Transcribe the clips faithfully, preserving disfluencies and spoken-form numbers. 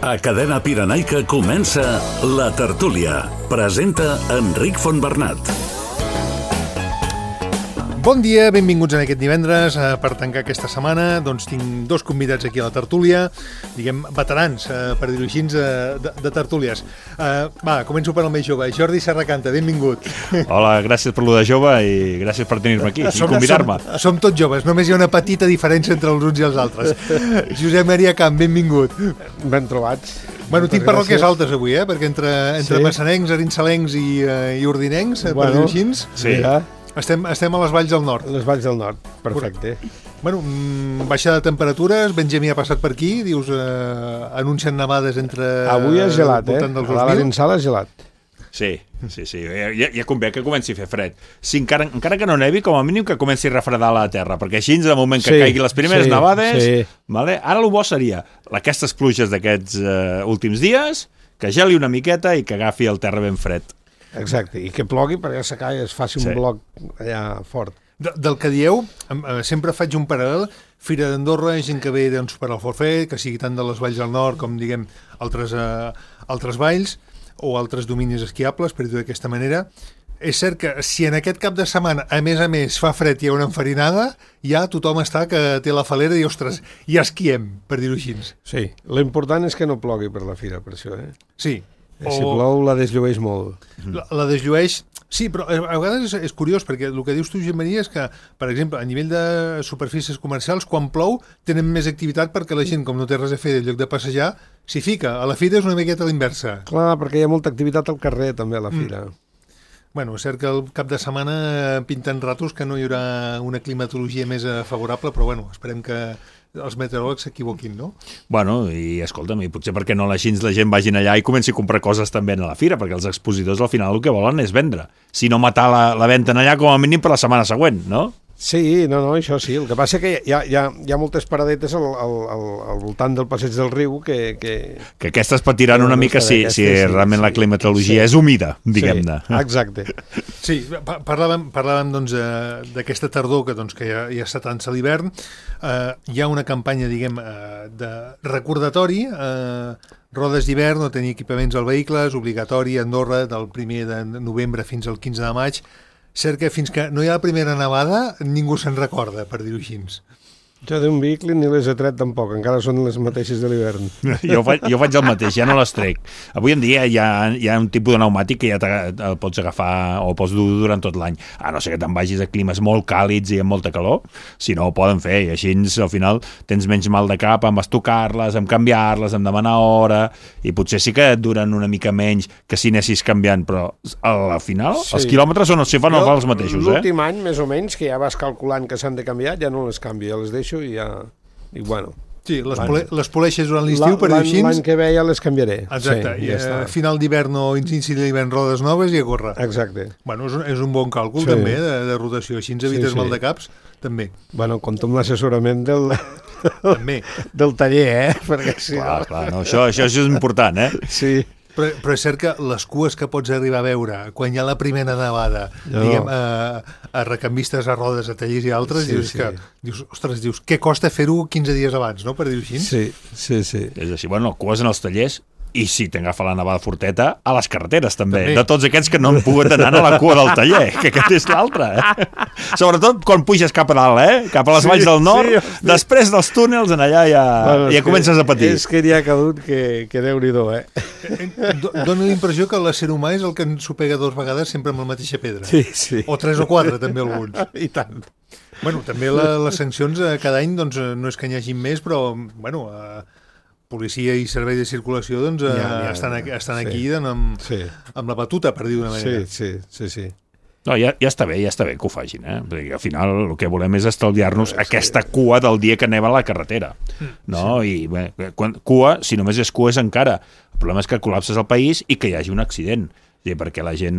A Cadena Pirenaica comença La Tertúlia. Presenta Enric Fontbernat. Bon dia, benvinguts en aquest divendres. Per tancar aquesta setmana doncs tinc dos convidats aquí a la tertúlia, diguem, veterans, per dir-ho així, de, de tertúlies. Uh, va, començo per el més jove. Jordi Serracanta, benvingut. Hola, gràcies per lo de jove i gràcies per tenir-me aquí som, i convidar-me. Som, som tots joves, només hi ha una petita diferència entre els uns i els altres. Josep Maria Camp, benvingut. Ben trobats. Bueno, tinc parròquies altes avui, eh? Perquè entre, entre sí. massanencs, arinsalencs i, uh, i ordinencs, bueno, per dir-ho així, sí. Ja. Estem, estem a les valls del nord. Les valls del nord, perfecte. Bueno, baixada de temperatures, Benjamí ha passat per aquí, dius, eh, anuncien nevades entre... Avui és gelat, eh? A la Valenciana és gelat. Sí, sí, sí. Ja, ja convé que comenci a fer fred. Si encara, encara que no nevi, com a mínim que comenci a refredar la terra, perquè així, de moment que sí, caigui les primeres sí, nevades... Sí. Vale? Ara el bo seria aquestes pluges d'aquests uh, últims dies, que geli una miqueta i que agafi el terra ben fred. Exacte, i que plogui perquè s'acà i es faci sí. un bloc allà fort. De, del que dieu, sempre faig un paral·lel, Fira d'Andorra, gent que ve doncs, per al forfet, que sigui tant de les valls del nord com, diguem, altres, eh, altres valls o altres dominis esquiables, per dir-ho d'aquesta manera. És cert que si en aquest cap de setmana, a més a més, fa fred i hi ha una enfarinada, ja tothom està que té la falera i, ostres, ja esquiem, per dir-ho així. Sí, l'important és que no plogui per la fira, per això, eh? Sí. O... Si plou, la desllueix molt. La, la desllueix, sí, però a vegades és, és curiós, perquè el que dius tu, Josep Maria, és que, per exemple, a nivell de superfícies comercials, quan plou, tenen més activitat perquè la gent, com no té res a fer en lloc de passejar, s'hi fica. A la fira és una miqueta a l'inversa. Clar, perquè hi ha molta activitat al carrer, també, a la fira. Mm. Bueno, és cert que el cap de setmana pinten ratos que no hi haurà una climatologia més favorable, però bueno, esperem que els meteoròlegs s'equivoquin, no? Bueno, i escolta'm, i potser perquè no així la gent vagin allà i comenci a comprar coses també a la fira, perquè els expositors al final el que volen és vendre. Si no matar la, la venda en allà com a mínim per la setmana següent, no? Sí, no, no, això sí. El que passa que hi ha, hi ha, hi ha moltes paradetes al, al, al, al voltant del passeig del riu que... Que, que aquestes patiran una mica si, si sí, realment sí, la climatologia sí. és humida, diguem-ne. Sí, exacte. Sí, parlàvem, parlàvem doncs, d'aquesta tardor que, doncs, que ja, ja s'atança l'hivern. Uh, hi ha una campanya, diguem, uh, de recordatori, uh, rodes d'hivern, no tenir equipaments al vehicle, és obligatori a Andorra del primer de novembre fins al quinze de maig. Cert que fins que no hi ha la primera nevada ningú se'n recorda, per dir-ho així. Jo d'un vehicle ni les he tret tampoc, encara són les mateixes de l'hivern. jo, faig, jo faig el mateix, ja no les trec. Avui en dia hi ha, hi ha un tipus de pneumàtic que ja el pots agafar o pots dur durant tot l'any. A no ser que te'n vagis a climes molt càlids i amb molta calor, si no ho poden fer, i així al final tens menys mal de cap amb estocar-les, amb canviar-les, amb demanar hora, i potser sí que et duren una mica menys que si anessis canviant, però al final sí. els quilòmetres són, si fan jo, els mateixos. L'últim eh? any, més o menys, que ja vas calculant que s'han de canviar, ja no les canvio, ja les deixo i ja... i bueno... Sí, les, pole, les poleixes durant l'estiu, per dir així. L'any que ve ja les canviaré. Exacte, sí, i ja a final d'hivern o inici d'hivern rodes noves i a córrer. Exacte. Bueno, és un, és un bon càlcul sí. també de, de rotació, així ens evites sí, sí. mal de caps, també. Bueno, compto amb l'assessorament del... també. del taller, eh? Perquè si clar, no... clar, no, això, això és important, eh? Sí. Però, però és cert que les cues que pots arribar a veure quan hi ha la primera nevada, no. diguem, a, a recanvistes, a rodes, a tallers i altres, sí, dius sí. que, dius, ostres, dius, què costa fer-ho quinze dies abans, no?, per dir-ho així. Sí, sí, sí. És així, bueno, cues en els tallers, i si t'agafa la nevada forteta, a les carreteres també, també. De tots aquests que no han pogut anar a la cua del taller, que aquest és l'altre, eh? Sobretot quan puges cap a dalt, eh? Cap a les sí, valls del nord, sí, sí. després dels túnels, en allà ja, bueno, ja comences a patir. És que n'hi ha cadut que, que Déu-n'hi-do, eh? Dóna la impressió que l'ésser humà és el que ens ho pega dues vegades sempre amb la mateixa pedra. Sí, sí. O tres o quatre, també alguns. I tant. Bueno, també la, les sancions cada any, doncs, no és que n'hi hagi més, però, bueno... Eh, policia i servei de circulació doncs, ja, ja, estan, aquí, estan sí. aquí doncs, amb, sí. amb la batuta, per dir d'una manera. Sí, sí, sí, sí. No, ja, ja està bé, ja està bé que ho facin, eh? Perquè al final el que volem és estalviar-nos sí. aquesta cua del dia que anem a la carretera, no? Sí. I bé, quan, cua, si només és cua és encara. El problema és que col·lapses el país i que hi hagi un accident. Sí, perquè la gent,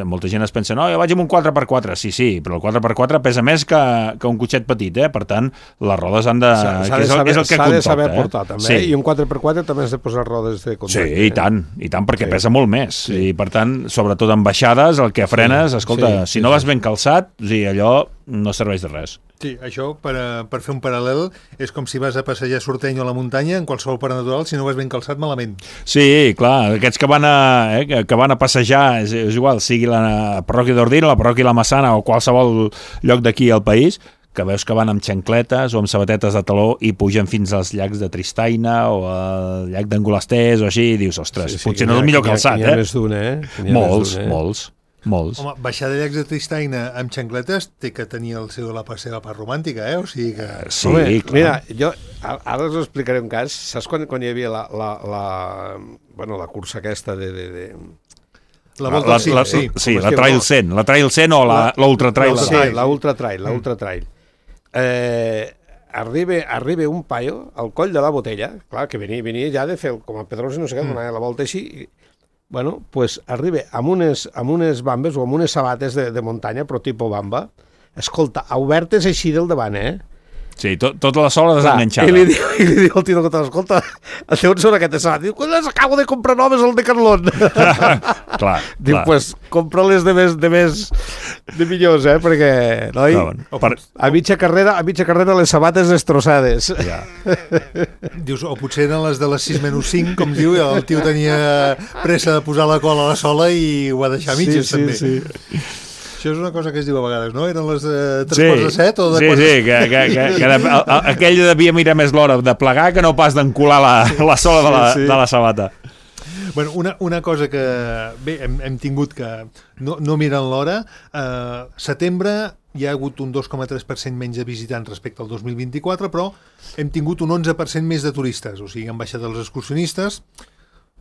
molta gent es pensa no, jo vaig amb un quatre per quatre, sí, sí, però el quatre per quatre pesa més que, que un cotxet petit, eh? Per tant, les rodes han de... S'ha de saber, és el que compta, de saber eh? portar, també, sí. I un quatre per quatre també has de posar rodes de contacte. Sí, i tant, i tant, perquè sí. pesa molt més, sí. I per tant, sobretot en baixades, el que frenes, sí. escolta, sí, si no sí, vas ben calçat, o sigui, allò no serveix de res. Sí, això, per, per fer un paral·lel, és com si vas a passejar a Sorteny o a la muntanya, en qualsevol parc natural, si no vas ben calçat, malament. Sí, clar, aquests que van a, eh, que van a passejar, és, és igual, sigui la parròquia d'Ordino, la parròquia de la Massana o qualsevol lloc d'aquí al país, que veus que van amb xancletes o amb sabatetes de taló i pugen fins als llacs de Tristaina o al llac d'Angolasters o així, i dius, ostres, sí, sí, potser no és el millor calçat, eh? N'hi ha més d'un, eh? Molts, molts. Molts. Home, baixar de llacs de Tristaina amb xancletes té que tenir el seu, la seva part romàntica, eh? O sigui que... Sí, Home, clar. Mira, jo ara us explicaré un cas. Saps quan, quan hi havia la, la, la, bueno, la cursa aquesta de... de, de... La volta la, sí, la, sí. sí, la Trail cent, la Trail cent o l'Ultra Trail. La, sí, la Ultra Trail, la Ultra Trail. Eh, arriba, arriba un paio al coll de la Botella, clar, que venia, venia ja de fer com a Pedrosa, no sé què, mm. donava la volta així, i, bueno, pues arriba amb unes, amb unes bambes o amb unes sabates de, de muntanya, però tipus bamba, escolta, obertes així del davant, eh? Sí, tot, tota la sola desenganxada. I li diu, i li diu el tio que escolta, el on són aquestes sabates? Diu, quan les acabo de comprar noves al Decathlon. clar, Diu, clar. pues, compra-les de més, de més, de millors, eh? Perquè, noi, No, bueno, per... a mitja carrera, a mitja carrera les sabates destrossades. Ja. Dius, o potser eren les de les sis menys cinc, com diu, i el tio tenia pressa de posar la cola a la sola i ho va deixar a mitges, sí, també. Sí, sí. Això és una cosa que es diu a vegades, no? Eren les de tres Sí, quarts de set o de sí, quarts sí, de... que, que, que, que de, a, a, aquell devia mirar més l'hora de plegar que no pas d'encular la, la sola de la, Sí, sí. de la sabata. Bueno, una, una cosa que bé, hem, hem tingut que no, no miren l'hora, eh, setembre hi ha hagut un dos coma tres per cent menys de visitants respecte al dos mil vint-i-quatre, però hem tingut un onze per cent més de turistes, o sigui, han baixat els excursionistes.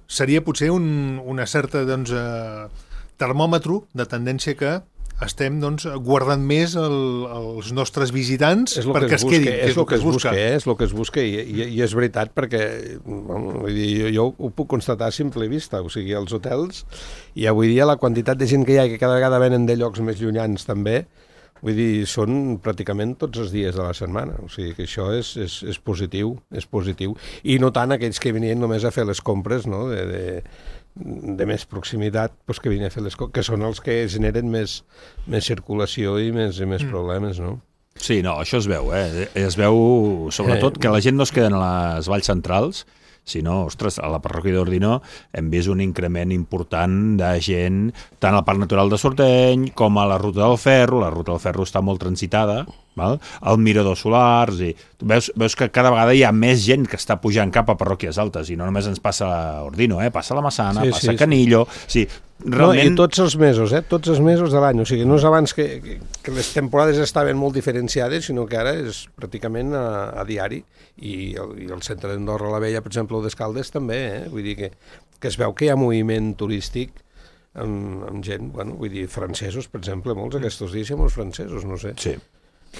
Seria potser un, una certa doncs, eh, termòmetre de tendència que estem doncs, guardant més el, els nostres visitants és perquè que es, es quedin, busca, que és el que es busca, busca. és el que es busca i, i, i és veritat perquè bueno, vull dir, jo, jo ho puc constatar a simple vista, o sigui, els hotels i avui dia la quantitat de gent que hi ha que cada vegada venen de llocs més llunyans també, vull dir, són pràcticament tots els dies de la setmana, o sigui que això és, és, és positiu, és positiu, i no tant aquells que venien només a fer les compres, no?, de, de de més proximitat, doncs que vine a fer les coses, que són els que generen més, més circulació i més, i més mm. problemes, no? Sí, no, això es veu, eh? Es veu, sobretot, que la gent no es queda en les valls centrals, sinó, ostres, a la parròquia d'Ordino hem vist un increment important de gent, tant al Parc Natural de Sorteny com a la Ruta del Ferro. La Ruta del Ferro està molt transitada, val? Al Mirador Solars, i veus, veus que cada vegada hi ha més gent que està pujant cap a parròquies altes, i no només ens passa a Ordino, eh? Passa a la Massana, sí, passa sí, a Canillo, sí. Sí, realment... No, i tots els mesos, eh? Tots els mesos de l'any, o sigui, no és abans que, que, que les temporades estaven molt diferenciades, sinó que ara és pràcticament a, a diari, i el, i el centre d'Andorra la Vella, per exemple, o d'Escaldes també, eh? Vull dir que, que es veu que hi ha moviment turístic amb, amb gent, bueno, vull dir, francesos, per exemple, molts aquests dies hi ha molts francesos, no sé. Sí.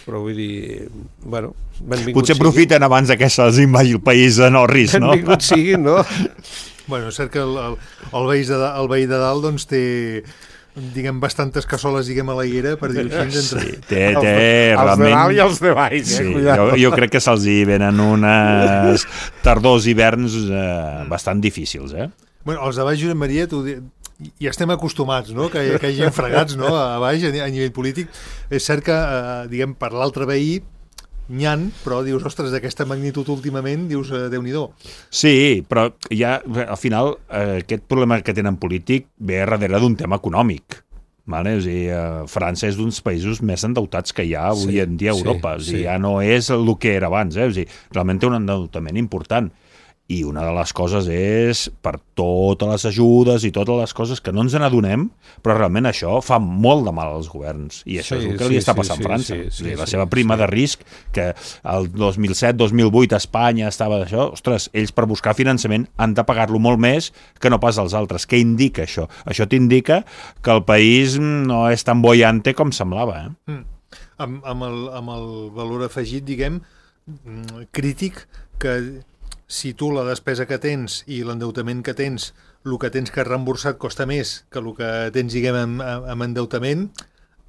Però vull dir, bueno, benvinguts Potser siguin. aprofiten abans que se'ls invagi el país de Norris, no? Benvinguts siguin, no? Bueno, és cert que el, el, el, veí de, el veí de dalt doncs, té diguem, bastantes cassoles diguem, a la higuera, per dir-ho així. Entre... Sí, té, té els, realment... Els de dalt i els de baix, eh? Sí, jo, jo crec que se'ls hi venen unes tardors i hiverns eh, bastant difícils, eh? Bueno, els de baix, Josep Maria, tu, i estem acostumats, no?, que, que hi hagi fregats, no?, a baix, a, a nivell polític. És cert que, eh, diguem, per l'altre veí, n'hi ha, però dius, ostres, d'aquesta magnitud últimament, dius, eh, Déu-n'hi-do. Sí, però ja, al final, eh, aquest problema que tenen polític ve darrere d'un tema econòmic. Vale? O sigui, eh, França és d'uns països més endeutats que hi ha avui sí, en dia a Europa. Sí, o sigui, sí. ja no és el que era abans. Eh? O sigui, realment té un endeutament important. I una de les coses és, per totes les ajudes i totes les coses que no ens n'adonem, però realment això fa molt de mal als governs. I això Sí, és el que sí, li està sí, passant sí, a França. sí, sí, o sigui, la sí, seva prima sí. de risc, que el dos mil set dos mil vuit a Espanya estava d'això, ostres, ells per buscar finançament han de pagar-lo molt més que no pas als altres. Què indica això? Això t'indica que el país no és tan boiante com semblava. Eh? Mm. Amb, amb, el, amb el valor afegit, diguem, crític, que si tu la despesa que tens i l'endeutament que tens, el que tens que reemborsar costa més que el que tens, diguem, amb, amb endeutament,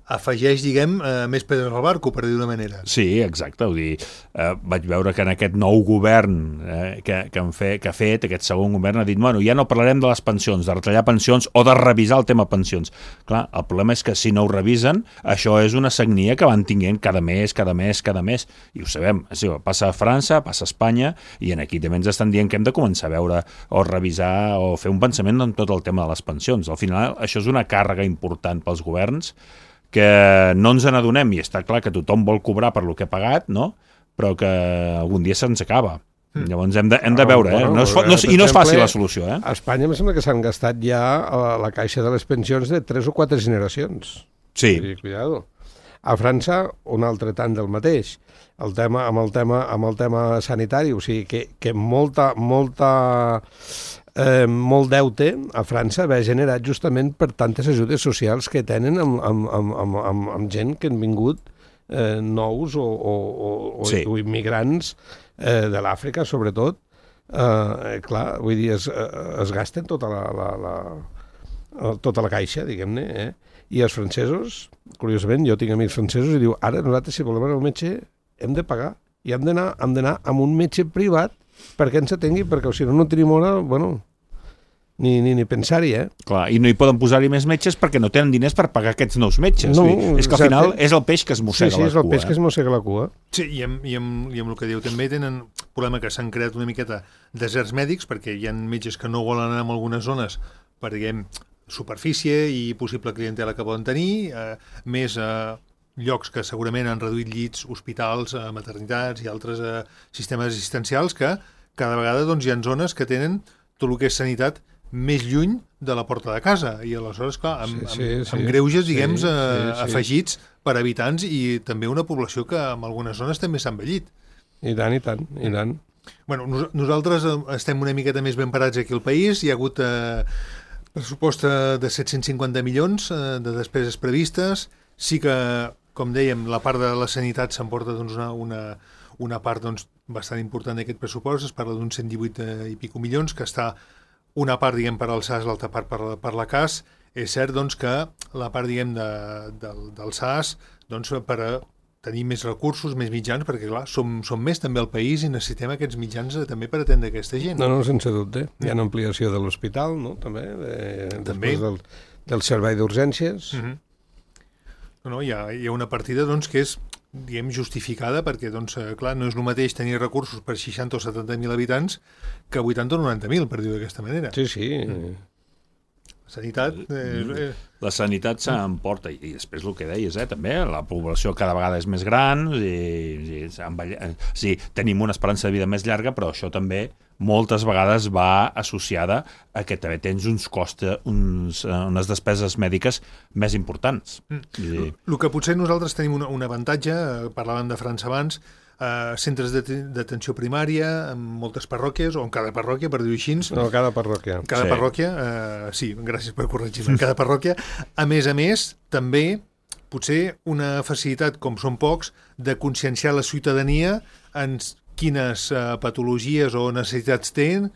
afegeix, diguem, eh, més pedres al barco, per dir d'una manera. Sí, exacte. Vull dir, eh, vaig veure que en aquest nou govern eh, que, que, han fe, que ha fet, aquest segon govern, ha dit, bueno, ja no parlarem de les pensions, de retallar pensions o de revisar el tema pensions. Clar, el problema és que si no ho revisen, això és una sagnia que van tinguent cada mes, cada mes, cada mes, i ho sabem. Sí, passa a França, passa a Espanya, i en aquí també ens estan dient que hem de començar a veure o revisar o fer un pensament en tot el tema de les pensions. Al final, això és una càrrega important pels governs que no ens n'adonem, i està clar que tothom vol cobrar per lo que ha pagat, no? Però que algun dia se'ns acaba. Mm. Llavors hem de, hem de veure, eh? No és, no, I no és fàcil la solució, eh? A Espanya em sembla que s'han gastat ja a la caixa de les pensions de tres o quatre generacions. Sí. I, cuidado. A França, un altre tant del mateix. El tema, amb, el tema, amb el tema sanitari, o sigui, que, que molta, molta... Eh, molt deute a França va generat justament per tantes ajudes socials que tenen amb, amb, amb, amb, amb, amb gent que han vingut eh, nous o, o, o, sí. o immigrants eh, de l'Àfrica, sobretot. Eh, clar, vull dir, es, es gasten tota la, la, la, tota la caixa, diguem-ne, eh? I els francesos, curiosament, jo tinc amics francesos i diu, ara nosaltres si volem anar al metge hem de pagar i hem d'anar hem d'anar amb un metge privat perquè ens atengui, perquè si no no tenim hora, bueno, ni, ni, ni pensar-hi, eh? Clar, i no hi poden posar-hi més metges perquè no tenen diners per pagar aquests nous metges. No, és que al final és el peix que es mossega sí, sí, la cua. Sí, és el peix eh? que es mossega la cua. Sí, i amb, i, amb, i amb el que diu també tenen un problema que s'han creat una miqueta deserts mèdics, perquè hi ha metges que no volen anar en algunes zones per, diguem, superfície i possible clientela que poden tenir, eh, més... Eh, llocs que segurament han reduït llits, hospitals, eh, maternitats i altres eh, sistemes assistencials que cada vegada doncs, hi ha zones que tenen tot el que és sanitat més lluny de la porta de casa i aleshores, clar, amb, sí, sí, amb, amb sí, greuges, diguem, sí, eh, sí, sí. afegits per habitants i també una població que en algunes zones també s'ha envellit. I tant, i tant, i tant. Bueno, nos nosaltres estem una miqueta més ben parats aquí al país, hi ha hagut eh, pressupost de set-cents cinquanta milions eh, de despeses previstes, sí que com dèiem, la part de la sanitat s'emporta doncs, una, una, una part doncs, bastant important d'aquest pressupost, es parla d'uns cent divuit i pico milions, que està una part, diguem, per al S A S, l'altra part per, per la C A S. És cert, doncs, que la part, diguem, de, del, del S A S, doncs, per a tenir més recursos, més mitjans, perquè, clar, som, som més també al país i necessitem aquests mitjans també per atendre aquesta gent. No, no, sense dubte. Hi ha una ampliació de l'hospital, no?, també, de, també. Del, del servei d'urgències. Uh-huh. No, hi, ha, hi ha una partida doncs, que és, diguem, justificada perquè, doncs, clar, no és el mateix tenir recursos per seixanta o setanta mil habitants que vuitanta o noranta mil, per dir-ho d'aquesta manera. Sí, sí. Mm. Sanitat... Eh, la sanitat s'emporta, i després el que deies, eh, també, la població cada vegada és més gran, i, i, sí, tenim una esperança de vida més llarga, però això també moltes vegades va associada a que també tens uns costes, uns, unes despeses mèdiques més importants. Mm. I... El que potser nosaltres tenim un, un avantatge, parlàvem de França abans, Uh, centres d'atenció primària en moltes parròquies, o en cada parròquia, per dir-ho així. No, cada parròquia. Cada sí. parròquia, uh, sí, gràcies per corregir-me, en cada parròquia. A més a més, també, potser una facilitat, com són pocs, de conscienciar la ciutadania en quines uh, patologies o necessitats tenen,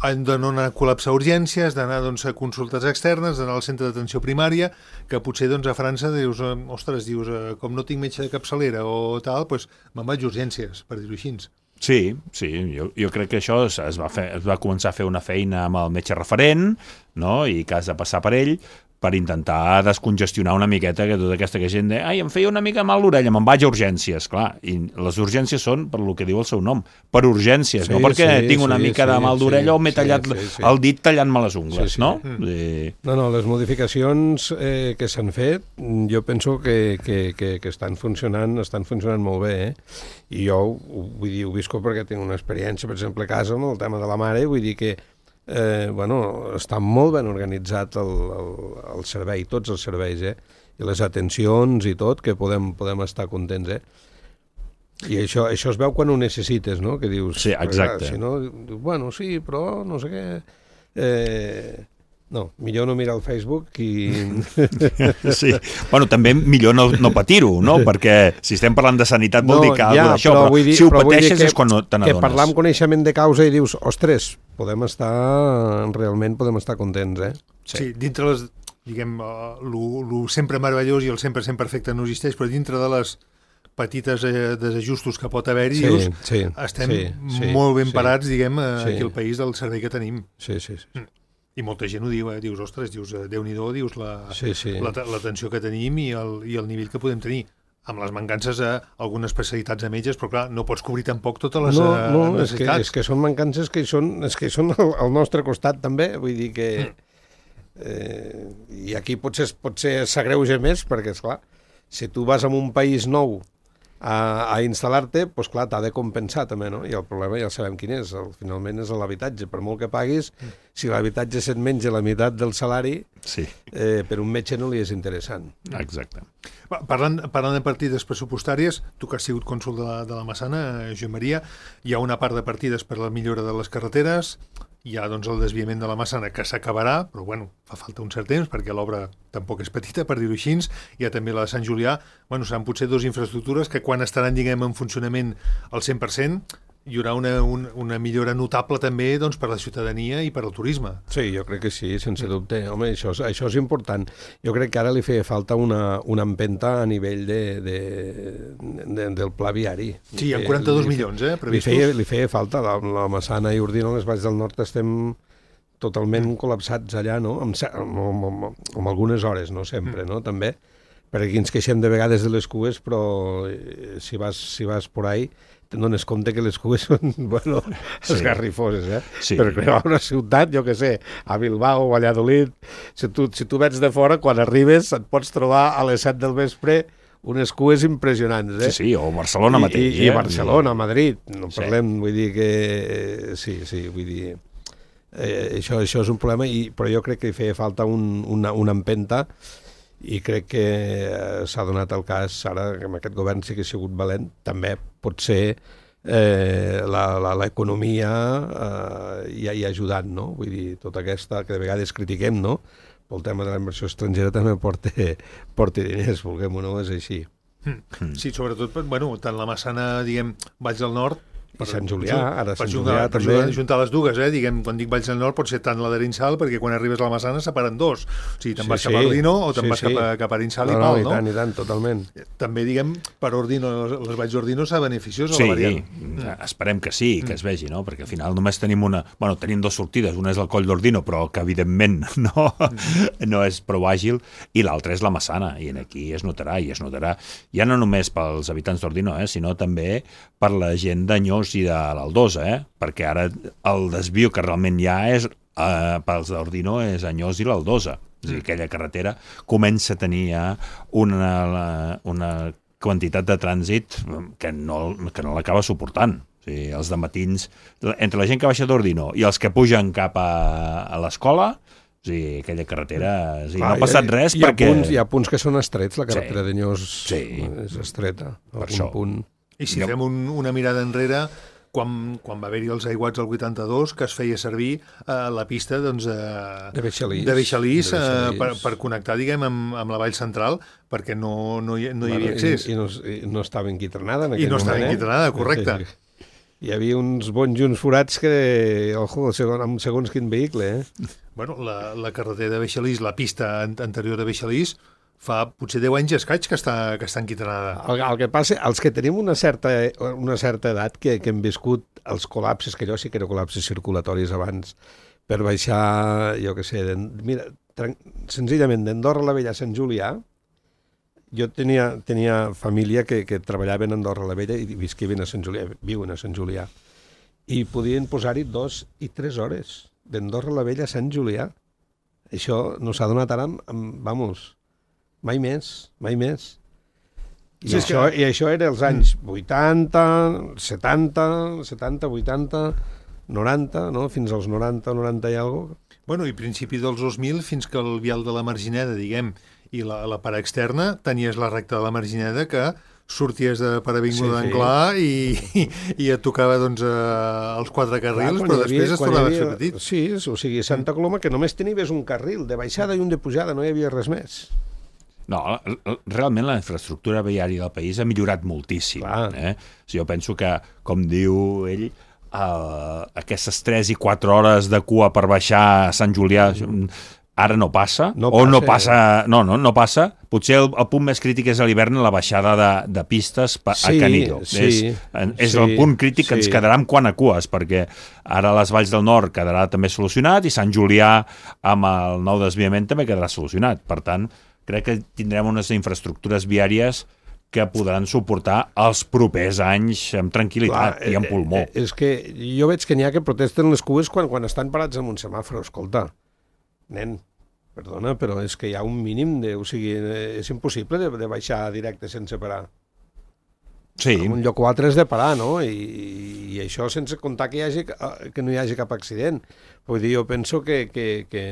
han de no anar a col·lapsar urgències, d'anar doncs, a consultes externes, d'anar al centre d'atenció primària, que potser doncs, a França dius, ostres, dius, com no tinc metge de capçalera o tal, doncs me'n vaig a urgències, per dir-ho així. Sí, sí, jo, jo crec que això es, es, va fer, es va començar a fer una feina amb el metge referent, no?, i que has de passar per ell, per intentar descongestionar una miqueta que tota aquesta gent de, ai, em feia una mica mal l'orella, me'n vaig a urgències, clar, i les urgències són per lo que diu el seu nom, per urgències, sí, no perquè sí, tinc una sí, mica sí, de mal d'orella sí, o m'he tallat sí, sí, sí. el dit tallant-me les ungles, sí, sí. no? Mm. I... No, no, les modificacions eh, que s'han fet, jo penso que, que, que, que estan funcionant, estan funcionant molt bé, eh? I jo, vull dir, ho visco perquè tinc una experiència, per exemple, a casa, amb el tema de la mare, vull dir que Eh, bueno, està molt ben organitzat el, el, el servei, tots els serveis, eh? I les atencions i tot, que podem, podem estar contents, eh? I això, això es veu quan ho necessites, no? Que dius, sí, exacte. Clar, si no, bueno, sí, però no sé què... Eh, no, millor no mirar el Facebook i... Sí, bueno, també millor no, no patir-ho, no? Perquè si estem parlant de sanitat vol no, dir que ja, d'això, però, però dir, si ho però pateixes que, és quan no te n'adones. Que parlar amb coneixement de causa i dius, ostres, podem estar, realment podem estar contents, eh? Sí, sí dintre les, diguem, el sempre meravellós i el sempre sempre perfecte no existeix, però dintre de les petites eh, desajustos que pot haver-hi, sí, dius, sí, estem sí, sí, molt ben sí, parats, diguem, eh, sí. aquí al país del servei que tenim. Sí, sí, sí. Mm. I molta gent ho diu, eh? Dius, ostres, dius, Déu-n'hi-do, dius la, sí, sí. la, l'atenció que tenim i el, i el nivell que podem tenir. Amb les mancances a algunes especialitats de metges, però clar, no pots cobrir tampoc totes les no, no, necessitats. És que, és que són mancances que són, és que són al, al nostre costat també, vull dir que... Eh, I aquí potser, potser s'agreuja més, perquè, esclar, si tu vas a un país nou a, a instal·lar-te, doncs clar, t'ha de compensar també, no? I el problema ja sabem quin és, el, finalment és l'habitatge. Per molt que paguis, si l'habitatge se't menja la meitat del salari, sí. eh, per un metge no li és interessant. Exacte. Parlant, parlant de partides pressupostàries, tu que has sigut cònsol de la, de la Massana, Joan Maria, hi ha una part de partides per a la millora de les carreteres, hi ha doncs, el desviament de la Massana que s'acabarà, però bueno, fa falta un cert temps perquè l'obra tampoc és petita, per dir-ho així. Hi ha també la de Sant Julià. Bueno, seran potser dues infraestructures que quan estaran, diguem, en funcionament al cent per cent, hi haurà una, una, una millora notable també doncs, per la ciutadania i per al turisme. Sí, jo crec que sí, sense dubte. Home, això, això és important. Jo crec que ara li feia falta una, una empenta a nivell de, de, de, del pla viari. Sí, hi ha quaranta-dos milions, eh, previstos. Li feia, li feia falta. La, la Massana i Ordino, les Valls del Nord, estem totalment col·lapsats allà, no? Amb, amb, amb, amb algunes hores, no sempre, no? També, perquè aquí ens queixem de vegades de les cues, però si vas, si vas por ahí te'n dones compte que les cues són, bueno, sí. esgarrifoses, eh? Sí. Per creuar una ciutat, jo què sé, a Bilbao o a Valladolid, si tu, si tu vens de fora, quan arribes et pots trobar a les set del vespre unes cues impressionants, eh? Sí, sí, o Barcelona I, mateix. I, i eh? Barcelona, Madrid, no sí. parlem, vull dir que... Sí, sí, vull dir... Eh, això, això és un problema, i, però jo crec que hi feia falta un, una, una empenta, i crec que eh, s'ha donat el cas ara que amb aquest govern sí que ha sigut valent, també pot ser eh, l'economia eh, hi, hi ha ajudat, no? Vull dir, tota aquesta que de vegades critiquem, no? Pel tema de la inversió estrangera també porta, porta diners, vulguem o no, és així. Mm. Sí, sobretot, bueno, tant la Massana, diguem, Valls del Nord, I Sant Julià, ara Sant jugar, Julià per també. Per juntar les dues, eh? Diguem, quan dic Valls del Nord pot ser tant la d'Arinsal, perquè quan arribes a la Massana separen dos. O sigui, te'n Sí, vas sí. cap a Ordino o te'n Sí, vas sí. cap a, cap a Arinsal No, i no, Pal, i no? tant, i tant, totalment. També, diguem, per Ordino, les Valls d'Ordino s'ha beneficiós Sí, a la variant. mm. esperem que sí, que es vegi, no? Perquè al final només tenim una... Bueno, tenim dues sortides, una és el Coll d'Ordino, però que evidentment no, no és prou àgil, i l'altra és la Massana, i aquí es notarà, i es notarà ja no només pels habitants d'Ordino, eh, sinó també per la gent d'Anyós i de l'Aldosa, eh? Perquè ara el desvio que realment hi ha és, eh, pels d'Ordino és Anyós i l'Aldosa. És a dir, aquella carretera comença a tenir ja una, una quantitat de trànsit que no, que no l'acaba suportant. O sigui, els dematins, entre la gent que baixa d'Ordino i els que pugen cap a, a l'escola, o sigui, aquella carretera... O sigui, Clar, no ha passat hi, res hi ha perquè... Punts, hi ha punts que són estrets, la carretera Sí. d'Anyós Sí. és estreta. Per algun això. Punt. I si fem un, una mirada enrere, quan, quan va haver-hi els aiguats al vuitanta-dos, que es feia servir eh, la pista doncs, eh, De Beixalís. de Beixalís, De eh, Beixalís. per, per connectar, diguem, amb, amb la vall central, perquè no, no, hi, no hi havia accés. I, i, no, i no estava enquitrenada en I aquell no estava moment, eh? enquitrenada, correcte. Sí, sí. Hi havia uns bons junts forats que, ojo, segon, amb segons quin vehicle, eh? Bueno, la, la carretera de Beixalís, la pista an- anterior de Beixalís, fa potser deu anys i escaig que està, que està enquitrenada. El, el que passa, els que tenim una certa, una certa edat, que, que hem viscut els col·lapses, que jo sí que era col·lapses circulatoris abans, per baixar, jo què sé, mira, tran- senzillament d'Andorra la Vella a Sant Julià, jo tenia, tenia família que, que treballaven a Andorra la Vella i visquien a Sant Julià, viuen a Sant Julià, i podien posar-hi dos i tres hores d'Andorra la Vella a Sant Julià. Això no s'ha donat ara, amb, amb, vamos, mai més, mai més. I, Sí, és això, que- I això era els anys vuitanta, setanta, setanta, vuitanta, noranta, no? Fins als noranta, noranta i alguna cosa. Bueno, i principi dels dos mil, fins que el vial de la Margineda, diguem, i la, la part externa, tenies la recta de la Margineda que sorties de per Avinguda Sí, sí. d'Anglà i, i, i et tocava doncs, eh, els quatre carrils, Clar, però quan hi havia- després es quan hi tornava a havia- fer petit. Sí, o sigui, Santa Coloma, que només tenies un carril de baixada i un de pujada, no hi havia res més. No, realment la infraestructura viària del país ha millorat moltíssim. Clar. Eh? Si jo penso que, com diu ell, uh, aquestes tres i quatre hores de cua per baixar a Sant Julià, ara no passa, no o passa, no passa, no, no, no passa. Potser el, el punt més crític és a l'hivern la baixada de, de pistes pa, sí, a Canillo. Sí, és és sí, el punt crític que sí. ens quedarà amb quan a cues, perquè ara les Valls del Nord quedarà també solucionat i Sant Julià amb el nou desviament també quedarà solucionat. Per tant, crec que tindrem unes infraestructures viàries que podran suportar els propers anys amb tranquil·litat. Clar, i amb pulmó. Eh, és que jo veig que n'hi ha que protesten les cues quan, quan estan parats en un semàfor. Escolta, nen, perdona, però és que hi ha un mínim de... O sigui, és impossible de, de baixar directe sense parar. Sí. En un lloc o altre és de parar, no? I, i això sense comptar que, hi hagi, que no hi hagi cap accident. Vull dir, jo penso que... que, que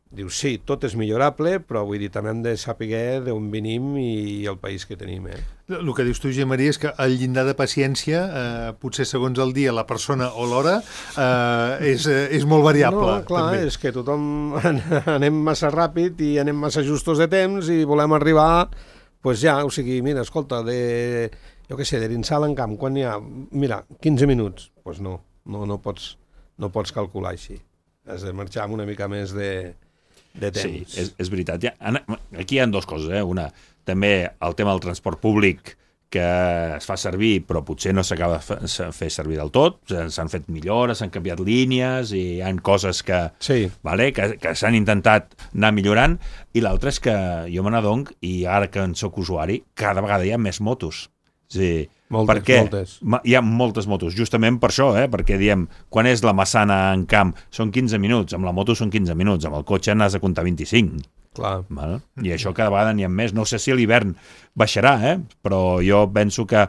diu, sí, tot és millorable, però vull dir, també hem de saber d'on venim i el país que tenim, eh? El que dius tu, Gemma Maria, és que el llindar de paciència, eh, potser segons el dia, la persona o l'hora, eh, és, és molt variable. No, clar, també. És que tothom anem massa ràpid i anem massa justos de temps i volem arribar, pues ja, o sigui, mira, escolta, de, jo què sé, de l'Insal en Camp, quan hi ha, mira, quinze minuts, doncs pues no, no, no, pots, no pots calcular així. Has de marxar amb una mica més de... de temps. Sí, és, és veritat. Ja, aquí hi ha dues coses. Eh? Una, també el tema del transport públic que es fa servir, però potser no s'acaba de fer servir del tot. S'han fet millores, s'han canviat línies i hi ha coses que, sí. vale, que, que s'han intentat anar millorant. I l'altre és que jo me n'adonc, i ara que en soc usuari, cada vegada hi ha més motos. Sí, moltes, perquè moltes. Hi ha moltes motos, justament per això, eh? Perquè diem, quan és la Massana en camp són quinze minuts, amb la moto són quinze minuts, amb el cotxe n'has de comptar vint-i-cinc. Clar. Val? I això cada vegada n'hi ha més. No sé si a l'hivern baixarà, eh? Però jo penso que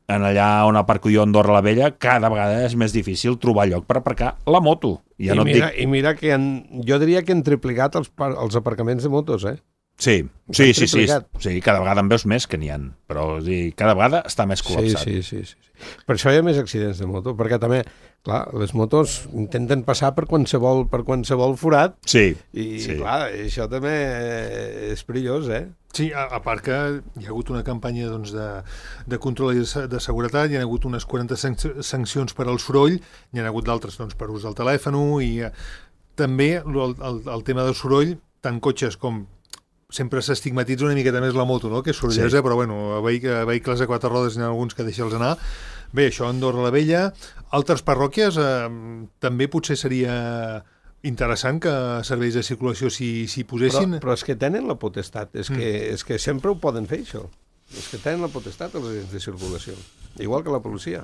en allà on aparco jo a Andorra la Vella, cada vegada és més difícil trobar lloc per aparcar la moto. Ja I, no mira, dic... I mira que han, jo diria que han triplicat els, els aparcaments de motos, eh? Sí, sí, sí, sí, sí, cada vegada en veus més que n'hi ha, però sí, cada vegada està més col·lapsat. Sí, sí, sí, sí. Per això hi ha més accidents de moto, perquè també, clar, les motos intenten passar per qualsevol, per qualsevol forat, sí, i sí. clar, això també és perillós, eh? Sí, a, a part que hi ha hagut una campanya doncs, de, de control i de, de seguretat, hi ha hagut unes quaranta sancions per al soroll, hi ha hagut d'altres doncs, per ús del telèfon, i eh, també el, el, el tema del soroll, tant cotxes com sempre s'estigmatitza una miqueta més la moto, no? Que és sorollesa, sí. Però bueno, a, vehic a vehicles de quatre rodes n'hi ha alguns que deixa'ls anar. Bé, això a Andorra la Vella. Altres parròquies eh, també potser seria interessant que serveis de circulació s'hi si posessin. Però, però és que tenen la potestat, és, mm. que, és que sempre ho poden fer, això. És que tenen la potestat els agents de circulació, igual que la policia.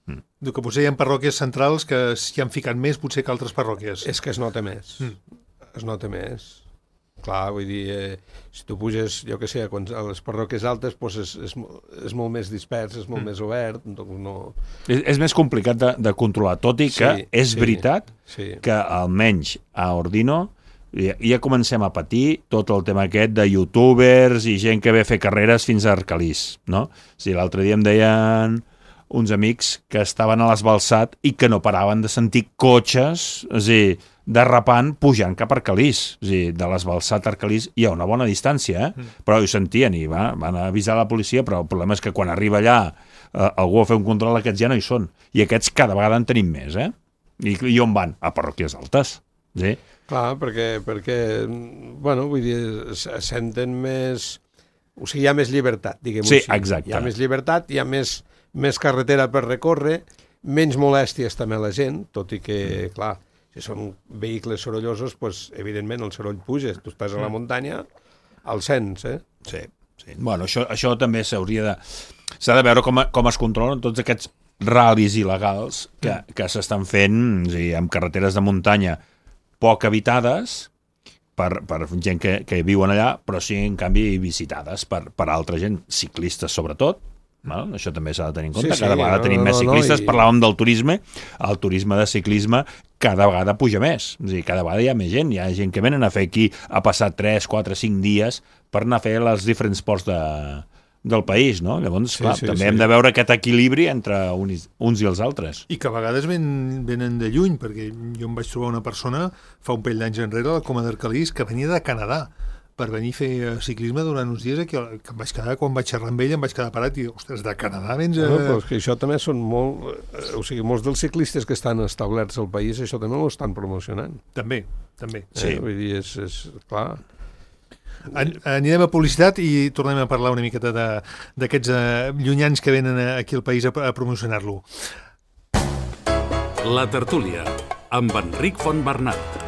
Mm. Diu que potser hi ha parròquies centrals que s'hi han ficat més potser que altres parròquies. És que es nota més. Mm. Es nota més. Clar, vull dir, eh, si tu puges, jo què sé, a les parròquies altes, doncs és, és, és molt més dispers, és molt mm. més obert, doncs no... És, és més complicat de, de controlar, tot i que sí, és sí, veritat sí. que almenys a Ordino ja, ja comencem a patir tot el tema aquest de youtubers i gent que ve a fer carreres fins a Arcalís, no? O sigui, l'altre dia em deien uns amics que estaven a l'esbalsat i que no paraven de sentir cotxes, és a dir, derrapant, pujant cap a Arcalís. És a dir, de l'esbalsat a Arcalís hi ha una bona distància, eh? Mm. Però ho sentien i va, van avisar la policia, però el problema és que quan arriba allà eh, algú a fer un control, aquests ja no hi són. I aquests cada vegada en tenim més, eh? I, i on van? A parròquies altes. Sí? Clar, perquè, perquè bueno, vull dir, senten més... O sigui, hi ha més llibertat, diguem-ho sí, així. Exacte. Hi ha més llibertat, hi ha més, més carretera per recórrer, menys molèsties també a la gent, tot i que, mm. clar, si són vehicles sorollosos, doncs, evidentment, el soroll puja. Tu estàs a la muntanya, el sents, eh? Sí, sí. Bueno, això, això també s'hauria de... S'ha de veure com, com es controlen tots aquests ral·lis il·legals que, mm. que s'estan fent, o sigui, amb carreteres de muntanya poc habitades per, per gent que, que viuen allà, però sí, en canvi, visitades per, per altra gent, ciclistes sobretot. Val? Això també s'ha de tenir en compte, sí, cada sí, vegada no, tenim no, més ciclistes, no, i... parlàvem del turisme, el turisme de ciclisme cada vegada puja més, és a dir, cada vegada hi ha més gent, hi ha gent que venen a fer aquí, a passar tres, quatre, cinc dies per anar a fer els diferents ports de, del país, no? Llavors, sí, clar, sí, també sí. hem de veure aquest equilibri entre uns, uns i els altres. I que a vegades ven, venen de lluny, perquè jo em vaig trobar una persona fa un parell d'anys enrere a la Coma d'Arcalís que venia de Canadà per venir a fer ciclisme durant uns dies aquí, que em vaig quedar, quan vaig xerrar amb ell, em vaig quedar parat i, ostres, de Canadà vens a... No, però és que això també són molt... O sigui, molts dels ciclistes que estan establerts al país, això també ho estan promocionant. També, també. Sí. Eh? Vull dir, és, és clar... An anirem a publicitat i tornem a parlar una miqueta d'aquests uh, llunyans que venen aquí al país a, a promocionar-lo. La tertúlia, amb Enric Fontbernat.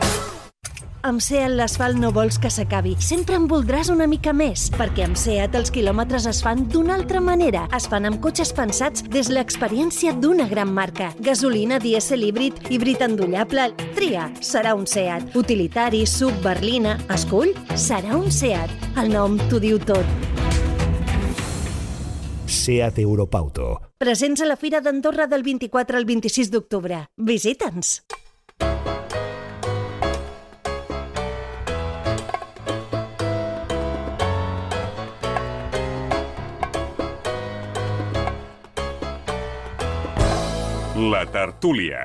Amb SEAT l'asfalt no vols que s'acabi. Sempre en voldràs una mica més, perquè amb SEAT els quilòmetres es fan d'una altra manera. Es fan amb cotxes pensats des l'experiència d'una gran marca. Gasolina, dièsel, híbrid, híbrid endollable... Tria, serà un SEAT. Utilitari, sub, berlina... Escull, serà un SEAT. El nom t'ho diu tot. SEAT Europauto. Presents a la Fira d'Andorra del vint-i-quatre al vint-i-sis d'octubre. Visita'ns! La tertúlia.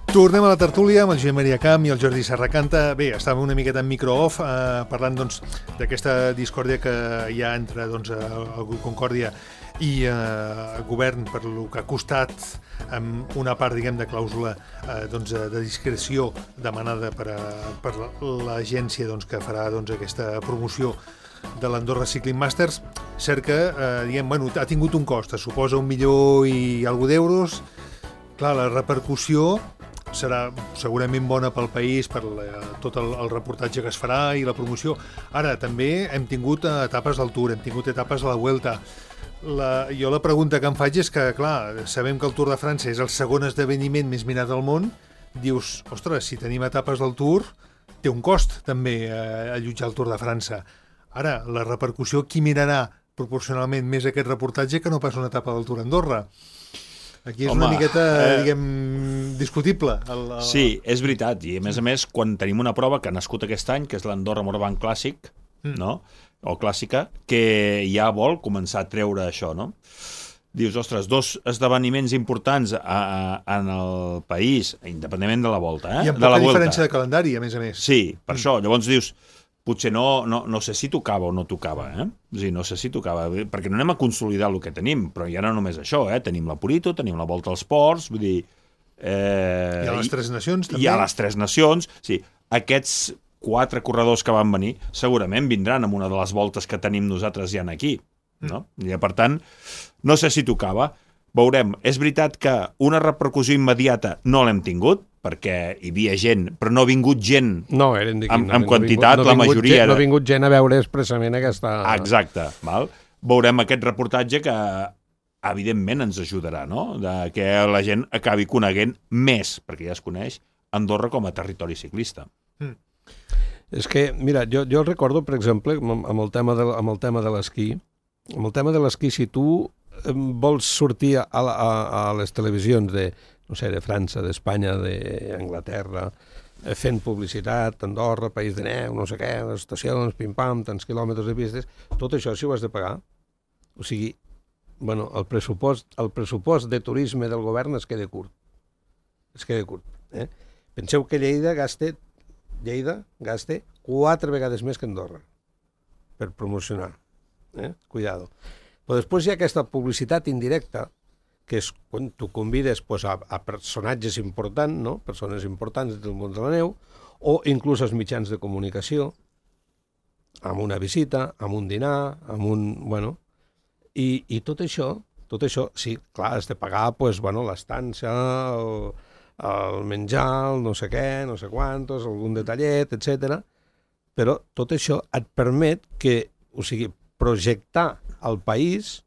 Tornem a la tertúlia amb el Josep Maria Camp i el Jordi Serracanta. Bé, estàvem una miqueta en micro-off eh, parlant doncs, d'aquesta discòrdia que hi ha entre doncs, el grup Concòrdia i eh, el govern per lo que ha costat amb una part, diguem, de clàusula eh, doncs, de discreció demanada per, a, per l'agència doncs, que farà doncs, aquesta promoció de l'Andorra Cycling Masters. Cert que eh, diguem, bueno, ha tingut un cost, es suposa un milió i alguna d'euros. Clar, la repercussió serà segurament bona pel país, per la, tot el, el reportatge que es farà i la promoció. Ara, també hem tingut etapes del Tour, hem tingut etapes a la Vuelta. La, jo la pregunta que em faig és que, clar, sabem que el Tour de França és el segon esdeveniment més mirat del món. Dius, ostres, si tenim etapes del Tour, té un cost també eh, allotjar el Tour de França. Ara, la repercussió, qui mirarà proporcionalment més aquest reportatge que no pas una etapa del Tour a Andorra? Aquí és Home, una miqueta, eh... diguem, discutible. El, el... Sí, és veritat. I, a més a més, quan tenim una prova que ha nascut aquest any, que és l'Andorra Morabanc Clàssic, mm. no?, o clàssica, que ja vol començar a treure això, no? Dius, ostres, dos esdeveniments importants a, a, en el país, independentment de la volta, eh? I amb de poca la diferència de calendari, a més a més. Sí, per mm. això. Llavors dius, potser no, no, no sé si tocava o no tocava, eh? O sigui, no sé si tocava, perquè no anem a consolidar el que tenim, però ja no només això, eh? Tenim la Purito, tenim la Volta als Ports, vull dir... Eh, I a les Tres Nacions, també. I a les Tres Nacions, sí. Aquests quatre corredors que van venir segurament vindran amb una de les voltes que tenim nosaltres ja aquí, no? Mm. I, per tant, no sé si tocava. Veurem. És veritat que una repercussió immediata no l'hem tingut, perquè hi havia gent, però no ha vingut gent no, eren d'aquí, amb, no, amb quantitat, no la majoria... Gent, era... No ha vingut gent a veure expressament aquesta... Exacte, val? Veurem aquest reportatge que evidentment ens ajudarà, no? De que la gent acabi coneguent més, perquè ja es coneix Andorra com a territori ciclista. Mm. És que, mira, jo, jo recordo, per exemple, amb el tema de, amb el tema de l'esquí, amb el tema de l'esquí, si tu vols sortir a, a, a les televisions de, no sé, de França, d'Espanya, d'Anglaterra, fent publicitat, Andorra, país de neu, no sé què, les estacions, pim-pam, tants quilòmetres de pistes, tot això si ho has de pagar. O sigui, bueno, el pressupost, el pressupost de turisme del govern es queda curt. Es queda curt. Eh? Penseu que Lleida gasta Lleida gasta quatre vegades més que Andorra per promocionar. Eh? Cuidado. Però després hi ha aquesta publicitat indirecta, que és quan tu convides pues, a, a personatges importants, no? Persones importants del món de la neu, o inclús als mitjans de comunicació, amb una visita, amb un dinar, amb un... Bueno, i, i tot això, tot això, sí, clar, has de pagar pues, bueno, l'estància, el, el menjar, el no sé què, no sé quantos, algun detallet, etcètera. Però tot això et permet que, o sigui, projectar el país,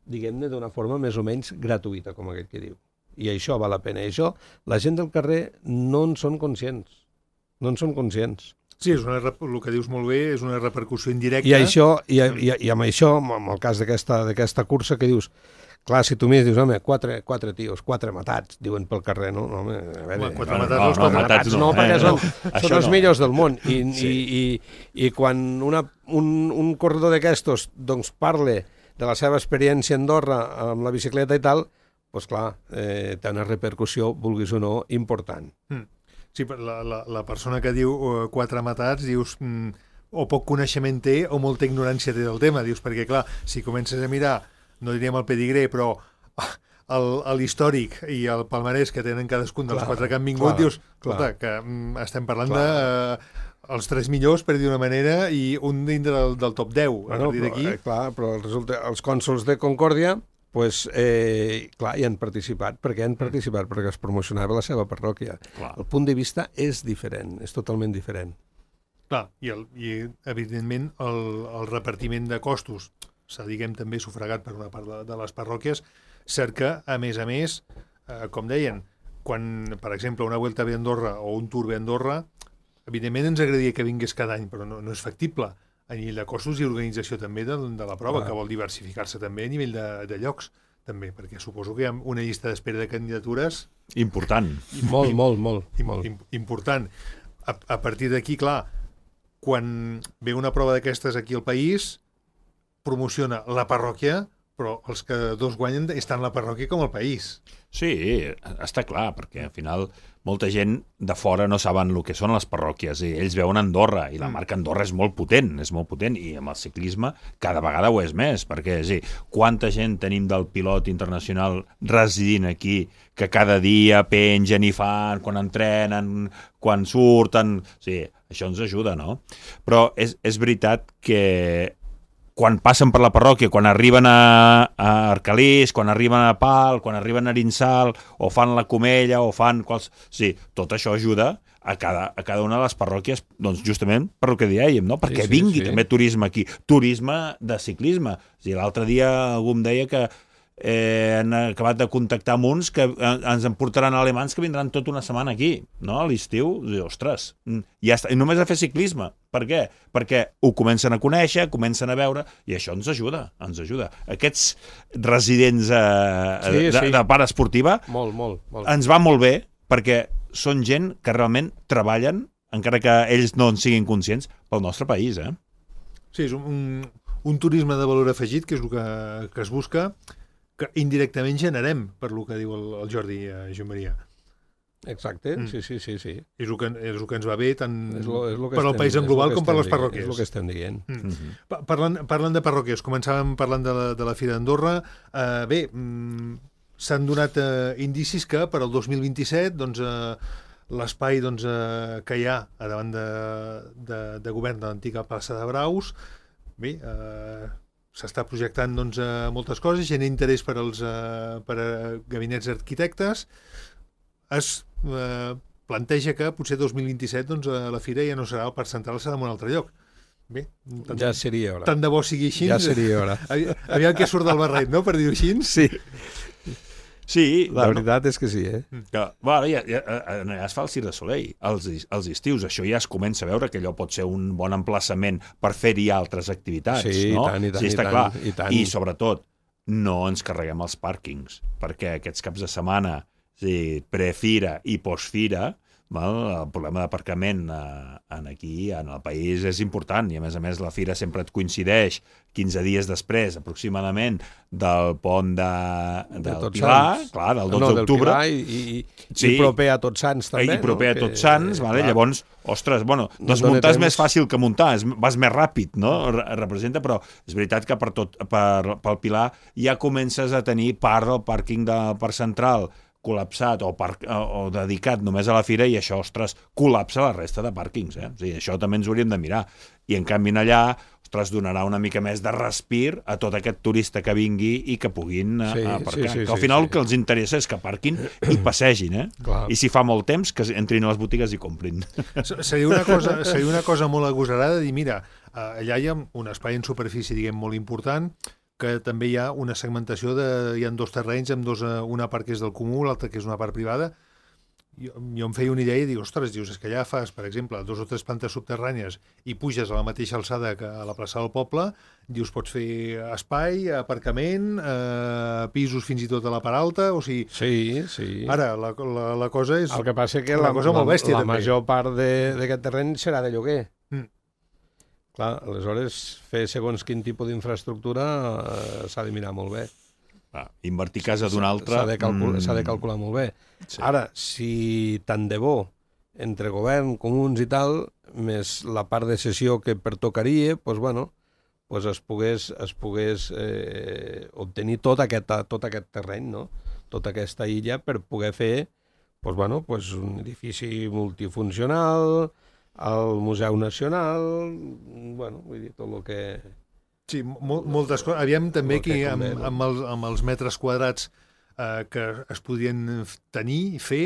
diguem-ne, d'una forma més o menys gratuïta, com aquell que diu. I això val la pena. I això, la gent del carrer no en són conscients. No en són conscients. Sí, és una, el que dius molt bé, és una repercussió indirecta. I, això, i, i, i amb això, amb el cas d'aquesta cursa que dius, clar, si tu mires, dius, home, quatre, quatre tios, quatre matats, diuen pel carrer, no? no home, a veure, quatre no, matats, no, no, quatre no, matats, no, no, perquè eh, són, no, són els no. millors del món. I, sí. i, i, i quan una, un, un corredor d'aquestos doncs, parla de la seva experiència a Andorra amb la bicicleta i tal, doncs clar, eh, té una repercussió, vulguis o no, important. Mm. Sí, la, la, la persona que diu uh, quatre matats, dius, mm, o poc coneixement té o molta ignorància té del tema, dius, perquè clar, si comences a mirar, no diríem el pedigree, però l'històric i el palmarès que tenen cadascun dels clar, quatre que han vingut, clar, dius, escolta, clar. que mm, estem parlant clar. de uh, els tres millors, per dir d'una manera, i un dintre del, del top deu. Bueno, a però, eh, clar, però resulta, els cònsols de Concòrdia, pues, eh, clar, hi han participat. Per què han participat? Perquè es promocionava la seva parròquia. Clar. El punt de vista és diferent, és totalment diferent. Clar, i, el, i evidentment el, el repartiment de costos s'ha, diguem, també sufragat per una part de, de les parròquies. Cert que, a més a més, eh, com deien, quan, per exemple, una Vuelta a Andorra o un Tour a Andorra, evidentment ens agradaria que vingués cada any, però no, no és factible a nivell de costos i organització també de, de la prova, ah. que vol diversificar-se també a nivell de, de llocs, també, perquè suposo que hi ha una llista d'espera de candidatures... Important. I, molt, i, molt, molt, i, molt. Important. A, a partir d'aquí, clar, quan ve una prova d'aquestes aquí al país, promociona la parròquia, però els que dos guanyen estan la parròquia com el país. Sí, està clar, perquè al final molta gent de fora no saben el que són les parròquies i ells veuen Andorra i la marca Andorra és molt potent, és molt potent i amb el ciclisme cada vegada ho és més, perquè sí, quanta gent tenim del pilot internacional residint aquí que cada dia pengen i fan, quan entrenen, quan surten... Sí, això ens ajuda, no? Però és, és veritat que quan passen per la parròquia, quan arriben a, a Arcalís, quan arriben a Pal, quan arriben a Arinsal, o fan la Comella, o fan... Quals... Sí, tot això ajuda a cada, a cada una de les parròquies, doncs justament per el que dèiem, no? Perquè sí, sí, vingui sí. també turisme aquí. Turisme de ciclisme. O sigui, l'altre dia algú em deia que eh, han acabat de contactar amb uns que ens en portaran alemans que vindran tota una setmana aquí, no? A l'estiu. Ostres, ja està. I només a fer ciclisme. Per què? Perquè ho comencen a conèixer, comencen a veure, i això ens ajuda, ens ajuda. Aquests residents eh, sí, de, sí. de part esportiva molt, molt, molt. ens va molt bé, perquè són gent que realment treballen, encara que ells no en siguin conscients, pel nostre país, eh? Sí, és un, un turisme de valor afegit, que és el que, que es busca, que indirectament generem, per el que diu el, el Jordi eh, Joan Maria. Exacte, mm. sí, sí, sí, sí. És el que, és el que ens va bé tant és lo, és lo que per al país en global com per les parròquies. És el que estem dient. Mm. Mm-hmm. Parlant, parlant de parròquies, començàvem parlant de la, de la Fira d'Andorra. Uh, bé, mm, s'han donat uh, indicis que per al dos mil vint-i-set doncs, uh, l'espai doncs, uh, que hi ha a davant de, de, de govern de l'antiga plaça de Braus, bé, uh, s'està projectant doncs, uh, moltes coses, genera interès per als uh, per a gabinets d'arquitectes. Es eh, planteja que potser dos mil vint-i-set doncs, la fira ja no serà el parc central, serà en un altre lloc. Bé, tant, ja seria hora. Tant de bo sigui així. Ja seria hora. Aviam que surt del barret, no?, per dir-ho així. Sí. Sí, la bueno, veritat és que sí, eh? Que, bueno, ja, ja, ja es fa el Cirque du Soleil, els, els estius, això ja es comença a veure que allò pot ser un bon emplaçament per fer-hi altres activitats, sí, no? Tant, i tant, sí, està i clar. tant, i tant. I sobretot, no ens carreguem els pàrquings, perquè aquests caps de setmana, sí, prefira i postfira, val? El problema d'aparcament eh, aquí, en el país, és important, i a més a més la fira sempre et coincideix quinze dies després, aproximadament, del pont de, del de Pilar, clar, del dotze d'octubre. No, i, i, sí, i proper a Tots Sants, també. I proper no? a Tots Sants, que, vale? Llavors, ostres, bueno, desmuntar és més fàcil que muntar, és, vas més ràpid, no? Representa, però és veritat que per tot, per, pel Pilar ja comences a tenir part del pàrquing del Parc Central col·lapsat o, parc, o dedicat només a la fira, i això, ostres, col·lapsa la resta de pàrquings, eh? O sigui, això també ens hauríem de mirar. I en canvi allà, ostres, donarà una mica més de respir a tot aquest turista que vingui i que puguin sí, aparcar. Sí, sí, que al final sí, sí. El que els interessa és que aparquin i passegin, eh? Clar. I si fa molt temps, que entrin a les botigues i comprin. Seria una cosa, seria una cosa molt agosarada dir, mira, allà hi ha un espai en superfície, diguem, molt important, que també hi ha una segmentació de... Hi ha dos terrenys, amb dos, una part que és del comú, l'altra que és una part privada. Jo, jo em feia una idea i dic, ostres, dius, és que allà fas, per exemple, dos o tres plantes subterrànies i puges a la mateixa alçada que a la plaça del poble, dius, pots fer espai, aparcament, eh, pisos fins i tot a la part alta, o sigui... Sí, sí. Ara, la, la, la cosa és... El que passa és que la, cosa la, molt bèstia, la també. major part d'aquest terreny serà de lloguer. Mm. Clar, aleshores, fer segons quin tipus d'infraestructura eh, s'ha de mirar molt bé. Ah, invertir casa d'un altre... S'ha de, calcul mm. de calcular molt bé. Sí. Ara, si tant de bo, entre govern, comuns i tal, més la part de cessió que pertocaria, doncs, bueno, pues es pogués, es pogués eh, obtenir tot aquest, tot aquest terreny, no? Tota aquesta illa, per poder fer pues, bueno, pues un edifici multifuncional, el Museu Nacional, bueno, vull dir, tot el que... Sí, mol, moltes coses. Aviam també aquí, amb, convé, no? amb, els, amb els metres quadrats eh, que es podien tenir i fer,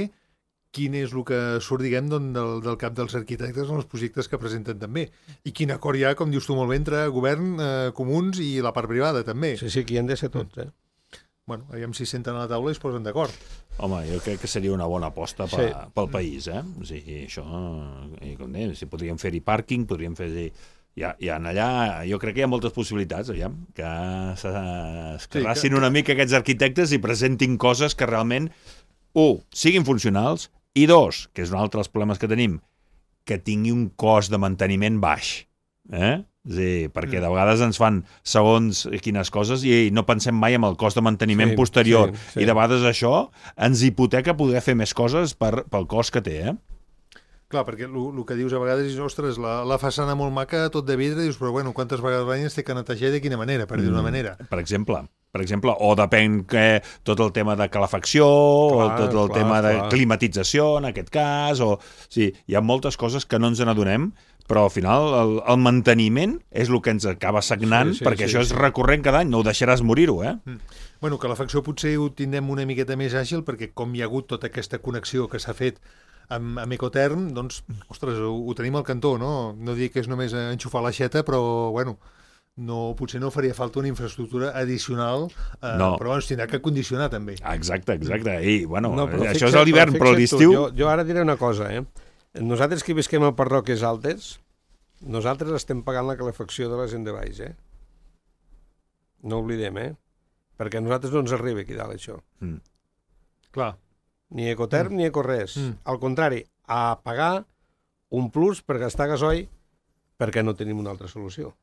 quin és el que surt, diguem, del, del cap dels arquitectes en els projectes que presenten també. I quin acord hi ha, com dius tu molt bé, entre govern, eh, comuns i la part privada, també. Sí, sí, aquí han de ser tots, eh? Bueno, aviam si senten a la taula i es posen d'acord. Home, jo crec que seria una bona aposta per, Sí. pel país, eh? O sigui, això, i com deia, si podríem fer-hi pàrquing, podríem fer-hi... Ja, ja allà, jo crec que hi ha moltes possibilitats, aviam, que s'escarrassin Sí, que- una mica aquests arquitectes i presentin coses que realment, un, siguin funcionals, i dos, que és un altre dels problemes que tenim, que tingui un cost de manteniment baix. Eh? És a dir, perquè de vegades ens fan segons quines coses i no pensem mai en el cost de manteniment Sí, posterior. sí, sí. I de vegades això ens hipoteca poder fer més coses per, pel cost que té, eh? Clar, perquè el que dius a vegades és, ostres, la, la façana molt maca, tot de vidre, dius, però bueno, quantes vegades l'any es té que netejar i de quina manera, per dir d'una manera. Per exemple, per exemple, o depèn que tot el tema de calefacció, Clar, o tot el clar, tema de clar. climatització, en aquest cas, o... Sí, hi ha moltes coses que no ens n'adonem, però al final el, el manteniment és el que ens acaba sagnant, Sí, sí, perquè sí, això és sí. recurrent cada any, no ho deixaràs morir-ho, eh? Mm. Bueno, que la facció potser ho tindrem una miqueta més àgil, perquè com hi ha hagut tota aquesta connexió que s'ha fet amb, amb Ecoterm, doncs, ostres, ho, ho tenim al cantó, no? No dic que és només enxufar l'aixeta, però, bueno, no, potser no faria falta una infraestructura addicional, eh, No. però bueno, es tindrà que condicionar també. Exacte, exacte. I, bueno, No, però això fixa't, és a l'hivern, però a fixa't tu, l'estiu... Jo, jo ara diré una cosa, eh? Nosaltres que visquem a parròquies altes, nosaltres estem pagant la calefacció de la gent de baix, eh? No oblidem, eh? Perquè a nosaltres no ens arriba aquí dalt, això. Mm. Clar. Ni Ecoterm mm. ni Ecores. Mm. Al contrari, a pagar un plus per gastar gasoil perquè no tenim una altra solució.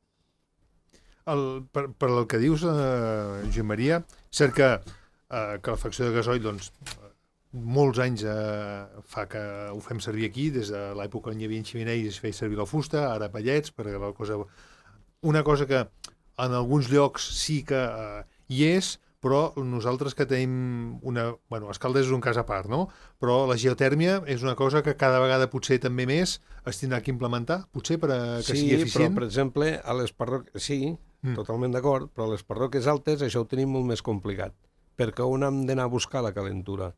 El, per, per el que dius, eh, Joan Maria, cert que eh, calefacció de gasoil, doncs, molts anys eh, fa que ho fem servir aquí, des de l'època on hi havia ximeneis es feia servir la fusta, ara pallets, perquè la cosa... Una cosa que en alguns llocs sí que eh, hi és, però nosaltres que tenim una... Bueno, Escaldes és un cas a part, no? Però la geotèrmia és una cosa que cada vegada potser també més es tindrà que implementar, potser per a que sí, sigui eficient. però, per exemple, a les parròquies... Sí, mm. totalment d'acord, però a les parròquies altes això ho tenim molt més complicat, perquè on hem d'anar a buscar la calentura?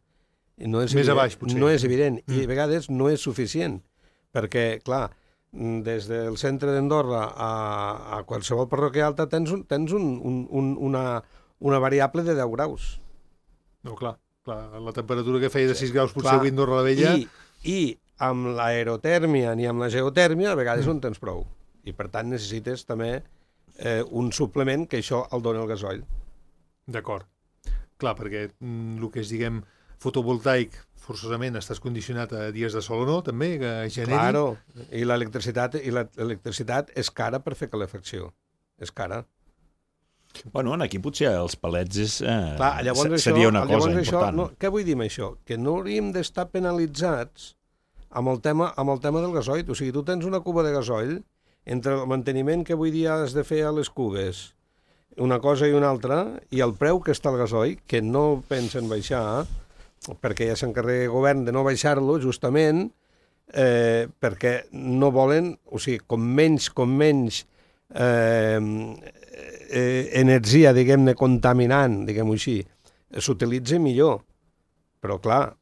I no és Més evident, a baix, potser. No és evident, Mm. i a vegades no és suficient, perquè, clar, des del centre d'Andorra a, a qualsevol parròquia alta tens, un, tens un, un, un, una, una variable de deu graus. No, clar, clar, la temperatura que feia de sis graus potser Clar, avui a Andorra la Vella... I, I amb l'aerotèrmia ni amb la geotèrmia a vegades mm. no en tens prou. I per tant necessites també eh, un suplement que això el dona el gasoil. D'acord. Clar, perquè mm, el que és, diguem, fotovoltaic, forçosament estàs condicionat a dies de sol o no, també, que generi... Claro, i l'electricitat i l'electricitat és cara per fer calefacció. És cara. Bueno, aquí potser els palets és, eh, Clar, llavors això, seria una llavors cosa això, important. no, què vull dir amb això? Que no hauríem d'estar penalitzats amb el, tema, amb el tema del gasoil. O sigui, tu tens una cuba de gasoil, entre el manteniment que avui dia has de fer a les cubes, una cosa i una altra, i el preu que està el gasoil, que no pensen baixar, perquè ja s'encarrega el govern de no baixar-lo, justament, eh, perquè no volen, o sigui, com menys, com menys eh, eh, energia, diguem-ne, contaminant, diguem-ho així, s'utilitza millor. Però, clar,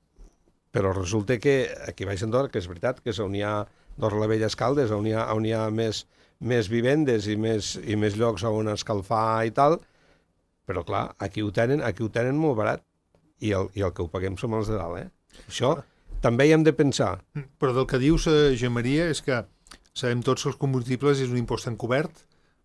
però resulta que aquí baix Andorra, que és veritat, que és on hi ha Andorra la Vella Escaldes, on hi ha, on hi ha més, més vivendes i més, i més llocs on escalfar i tal, però, clar, aquí ho tenen, aquí ho tenen molt barat. I el, i el que ho paguem som els de dalt, eh? Això també hi hem de pensar. Però del que dius, eh, Joan Maria, és que sabem tots que els combustibles és un impost encobert,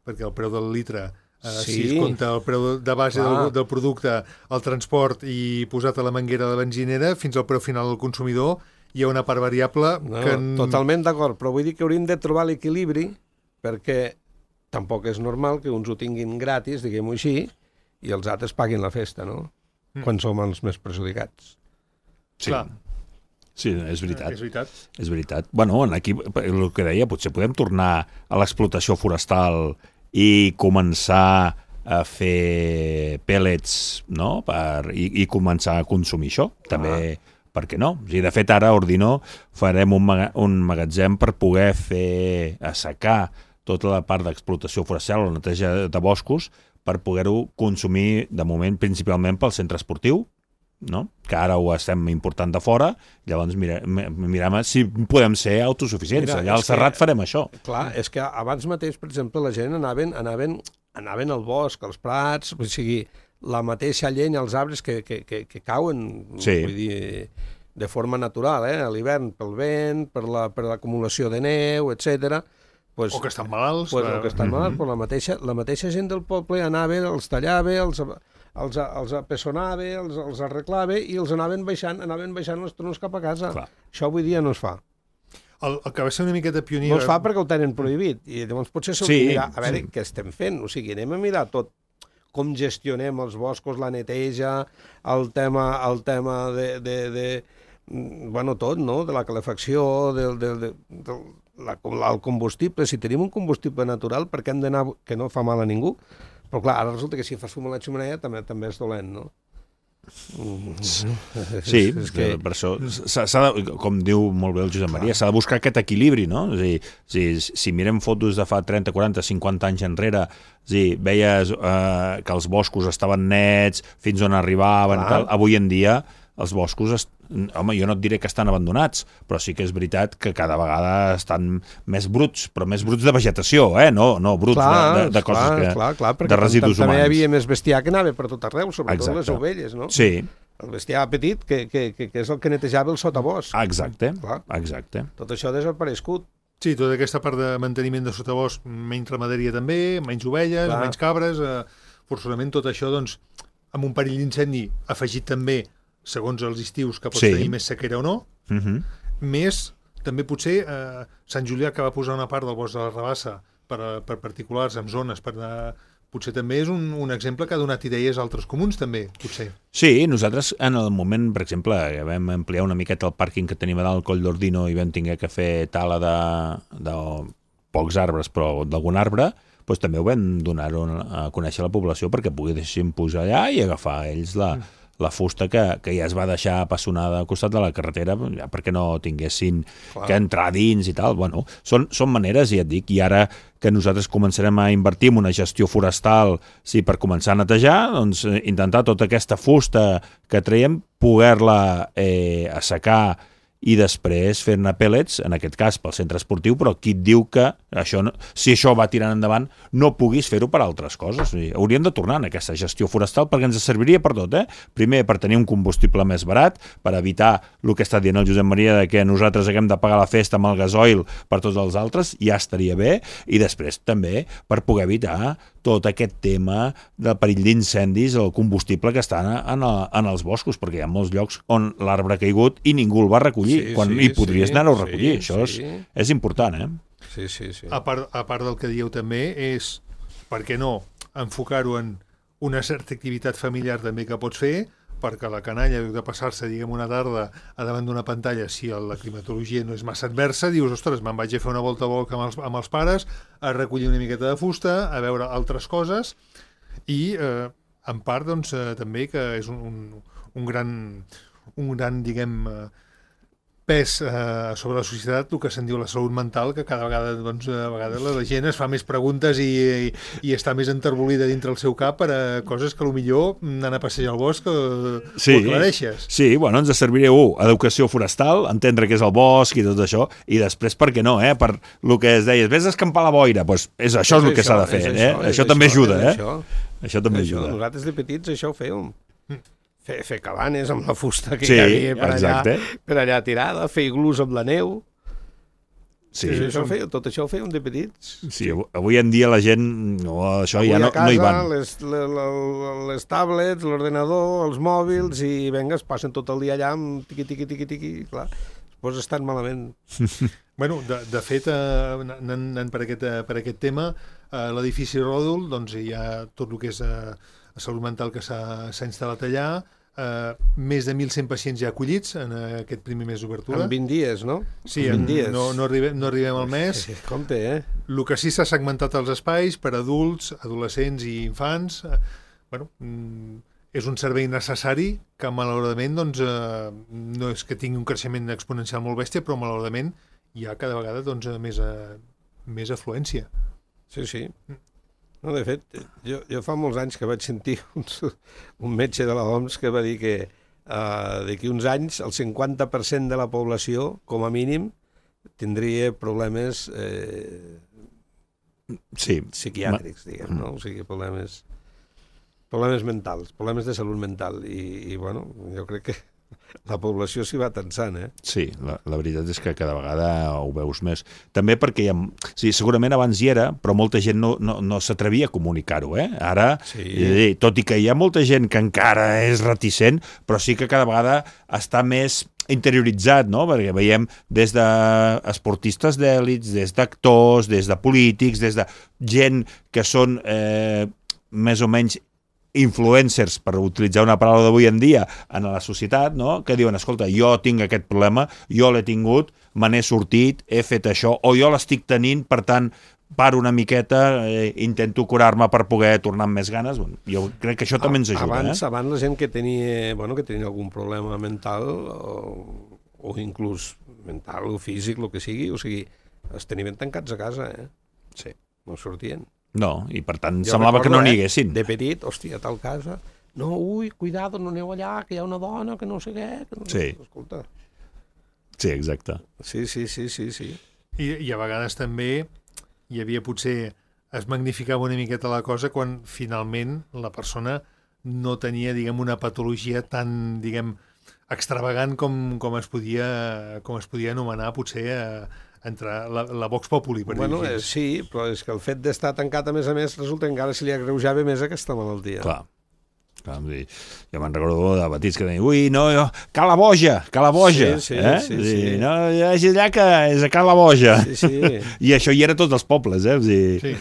perquè el preu del litre, eh, Sí. si es compta el preu de base del, del producte, el transport i posat a la manguera de la benzinera, fins al preu final del consumidor, hi ha una part variable No, que... totalment d'acord, però vull dir que hauríem de trobar l'equilibri perquè tampoc és normal que uns ho tinguin gratis, diguem-ho així, i els altres paguin la festa, no? Mm. Quan som els més perjudicats. Sí. Clar. Sí, és veritat. És veritat. És veritat. Bueno, aquí, el que deia, potser podem tornar a l'explotació forestal i començar a fer pellets, no? Per, i, i començar a consumir això. També, ah. per què no? O sigui, de fet, ara a Ordino farem un, maga, un magatzem per poder fer assecar tota la part d'explotació forestal o neteja de boscos per poder-ho consumir, de moment, principalment pel centre esportiu, no? Que ara ho estem important de fora, llavors mire, mirem si podem ser autosuficients. Mira, allà al Serrat que, farem això. Clar, és que abans mateix, per exemple, la gent anaven, anaven, anaven al bosc, als prats, o sigui, la mateixa llenya, els arbres que, que, que, que cauen, sí. Vull dir, de forma natural, eh? A l'hivern, pel vent, per la, per l'acumulació de neu, etcètera. Pues, o que estan malalts. Pues, o que estan malalts, mm-hmm. però la mateixa, la mateixa gent del poble anava, els tallava, els, els, els apessonava, els, els arreglava i els anaven baixant, anaven baixant els troncs cap a casa. Clar. Això avui dia no es fa. El, el que va ser una miqueta pioner... No es fa perquè ho tenen prohibit. I llavors potser s'ho sí, mirar, a veure sí. Què estem fent. O sigui, anem a mirar tot com gestionem els boscos, la neteja, el tema, el tema de, de, de... Bueno, tot, no? De la calefacció, del... del, del, del La, el combustible, si tenim un combustible natural, per què hem d'anar, que no fa mal a ningú? Però clar, ara resulta que si fas fum a la xemeneia també també és dolent, no? Sí, és, és que... per això s'ha de, com diu molt bé el Josep Maria, s'ha de buscar aquest equilibri, no? És a dir, si, si mirem fotos de fa trenta, quaranta, cinquanta anys enrere, és a dir, veies eh, que els boscos estaven nets, fins on arribaven, tal. Avui en dia els boscos, est... home, jo no et diré que estan abandonats, però sí que és veritat que cada vegada estan més bruts, però més bruts de vegetació, eh? No, no bruts clar, de, de coses clar, que... Clar, clar, de residus humans. També hi havia més bestiar que anava per tot arreu, sobretot exacte. Les ovelles, no? Sí. El bestiar petit, que, que, que, que és el que netejava el sotabosc. Exacte, clar. Exacte. Tot això ha desaparegut. Sí, tota aquesta part de manteniment de sotabosc, menys ramaderia també, menys ovelles, clar. Menys cabres, eh, forçosament tot això, doncs, amb un perill d'incendi afegit també segons els estius que pots sí. Tenir més sequera o no, uh-huh. Més també potser eh, Sant Julià que va posar una part del bosc de la Rabassa per, per particulars, en zones, per anar... potser també és un, un exemple que ha donat idees a altres comuns també, potser. Sí, nosaltres en el moment, per exemple, vam ampliar una miqueta el pàrquing que tenim a dalt al Coll d'Ordino i vam tinguer que fer tala de, de pocs arbres, però d'algun arbre, doncs també ho vam donar a conèixer a la població perquè poguessin pujar allà i agafar ells la... Mm. la fusta que, que ja es va deixar apassionada al costat de la carretera ja perquè no tinguessin clar. Que entrar dins i tal. Bueno, són, són maneres, ja et dic, i ara que nosaltres començarem a invertir en una gestió forestal sí, per començar a netejar, doncs intentar tota aquesta fusta que traiem, poder-la eh, assecar i després fer-ne pellets, en aquest cas pel centre esportiu, però qui et diu que això no, si això va tirant endavant no puguis fer-ho per altres coses. O sigui, hauríem de tornar en aquesta gestió forestal perquè ens serviria per tot, eh? Primer, per tenir un combustible més barat, per evitar el que està dient el Josep Maria de que nosaltres haguem de pagar la festa amb el gasoil per tots els altres, ja estaria bé, i després també per poder evitar tot aquest tema del perill d'incendis, el combustible que està en, el, en els boscos, perquè hi ha molts llocs on l'arbre ha caigut i ningú el va recollir, sí, quan sí, hi podries sí, anar-ho a recollir. Sí, això sí. és, és important, eh? Sí, sí, sí. A part, a part del que dieu també és, per què no, enfocar-ho en una certa activitat familiar també que pots fer, perquè la canalla, de passar-se, diguem, una tarda a davant d'una pantalla, si la climatologia no és massa adversa, dius, ostres, me'n vaig a fer una volta a volta amb els, amb els pares, a recollir una miqueta de fusta, a veure altres coses, i eh, en part, doncs, eh, també que és un, un, un gran, un gran, diguem, eh, pes eh, sobre la societat, el que se'n diu la salut mental, que cada vegada, doncs, a vegades la gent es fa més preguntes i, i, i està més enterbolida dintre el seu cap per a coses que potser anar a passejar al bosc eh, sí, ho aclareixes. Sí, bueno, ens serviria, un, educació forestal, entendre què és el bosc i tot això, i després, per què no, eh? Per el que es deia, vés a escampar la boira, doncs és, això és, és el que s'ha de fer, eh? Això, això també això, ajuda, eh? Això, això també això, ajuda. Nosaltres de petits això ho fèiem. Fer, fer cabanes amb la fusta que sí, hi havia per exacte. allà, per allà tirada, fer iglús amb la neu. Sí, sí, això feia, tot això ho fèiem de petits. Sí, avui en dia la gent no, això avui ja no, casa, no hi van. Les, les, les tablets, l'ordenador, els mòbils, i venga, es passen tot el dia allà amb tiqui, tiqui, tiqui, tiqui, clar. pues estan malament. Bueno, de, de fet, eh, anant, anant per, aquest, per aquest tema, a l'edifici Ròdol doncs, hi ha tot el que és eh, salut mental que s'ha instal·lat allà, eh, més de mil cent pacients ja acollits en aquest primer mes d'obertura. En vint dies, no? Sí, en en, vint dies. no, no, arribem, no arribem al mes. Sí, compte, eh? El que sí s'ha segmentat els espais per adults, adolescents i infants. Eh, bueno, mm, és un servei necessari que malauradament doncs, eh, no és que tingui un creixement exponencial molt bèstia, però malauradament hi ha cada vegada doncs, més, a, més afluència. Sí, sí. No, de fet, jo, jo fa molts anys que vaig sentir un, un metge de la O M S que va dir que uh, d'aquí uns anys el cinquanta per cent de la població, com a mínim, tindria problemes eh, sí. psiquiàtrics, diguem, no? O sigui, problemes, problemes mentals, problemes de salut mental. I, i bueno, jo crec que la població s'hi va tensant, eh? Sí, la, la veritat és que cada vegada ho veus més. També perquè hi ha, sí, segurament abans hi era, però molta gent no, no, no s'atrevia a comunicar-ho, eh? Ara, sí. eh, tot i que hi ha molta gent que encara és reticent, però sí que cada vegada està més interioritzat, no? Perquè veiem des d'esportistes d'èlits, des d'actors, des de polítics, des de gent que són eh, més o menys influencers, per utilitzar una paraula d'avui en dia, en la societat, no? Que diuen, escolta, jo tinc aquest problema, jo l'he tingut, me n'he sortit, he fet això, o jo l'estic tenint, per tant, paro una miqueta, eh, intento curar-me per poder tornar amb més ganes. Bueno, jo crec que això també ens ajuda. Abans, eh? abans la gent que tenia, bueno, que tenia algun problema mental, o, o inclús mental o físic, el que sigui, o sigui, es tenien tancats a casa, eh? Sí. No sortien. No, i per tant Jo semblava recordo, que no n'hi eh, haguessin. De petit, hòstia, a tal casa, no, ui, cuidado, no aneu allà, que hi ha una dona, que no sé què. Que no... Sí. Escolta. Sí, exacte. Sí, sí, sí, sí, sí. I, I a vegades també hi havia potser, es magnificava una miqueta la cosa quan finalment la persona no tenia, diguem, una patologia tan, diguem, extravagant com, com, es, podia, com es podia anomenar potser a, entre la, la Vox Populi, per Bueno, dir-ho eh, així. sí, però és que el fet d'estar tancat, a més a més, resulta que encara se li agreujava més aquesta malaltia. Clar. Clar, dir, jo me'n recordo de petits que deien, ui, no, jo, Cala Boja, Cala Boja. Sí, sí, eh? sí, dir, sí. No, hi ha allà que és a Cala Boja. Sí, sí. I això hi era tots els pobles, eh? O sigui, Sí.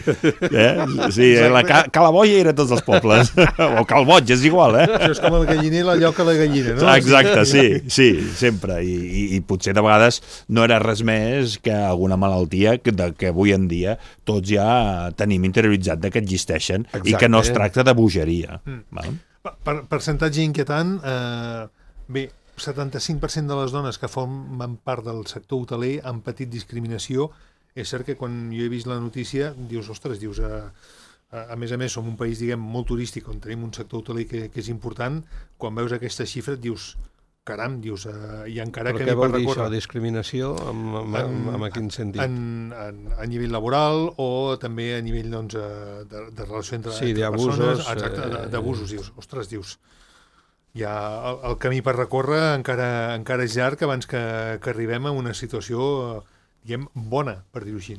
eh? Sí, la Ca Cala Boja hi era tots els pobles. O Cal Boig, és igual, eh? Això és com el galliner, la lloca a la gallina, no? Exacte, sí, sí, sempre. I, i, i potser de vegades no era res més que alguna malaltia que, de, que avui en dia tots ja tenim interioritzat de que existeixen. Exacte. I que no es tracta de bogeria. Mm. Val? Per, percentatge inquietant, eh, bé, setanta-cinc per cent de les dones que formen part del sector hoteler han patit discriminació. És cert que quan jo he vist la notícia, dius, ostres, dius, a, a, a més a més, som un país, diguem, molt turístic, on tenim un sector hoteler que, que és important. Quan veus aquesta xifra, dius, caram, dius, uh, i encara Però que què vol per dir recórrer. això, discriminació? En, en, en, en, en quin sentit? En, en, a nivell laboral o també a nivell doncs, eh, de, de relació entre, Sí, entre d'abusos, persones. Exacte, eh, d'abusos. Dius, ostres, dius, ja el, el camí per recórrer encara, encara és llarg abans que, que arribem a una situació, diguem, bona, per dir-ho així.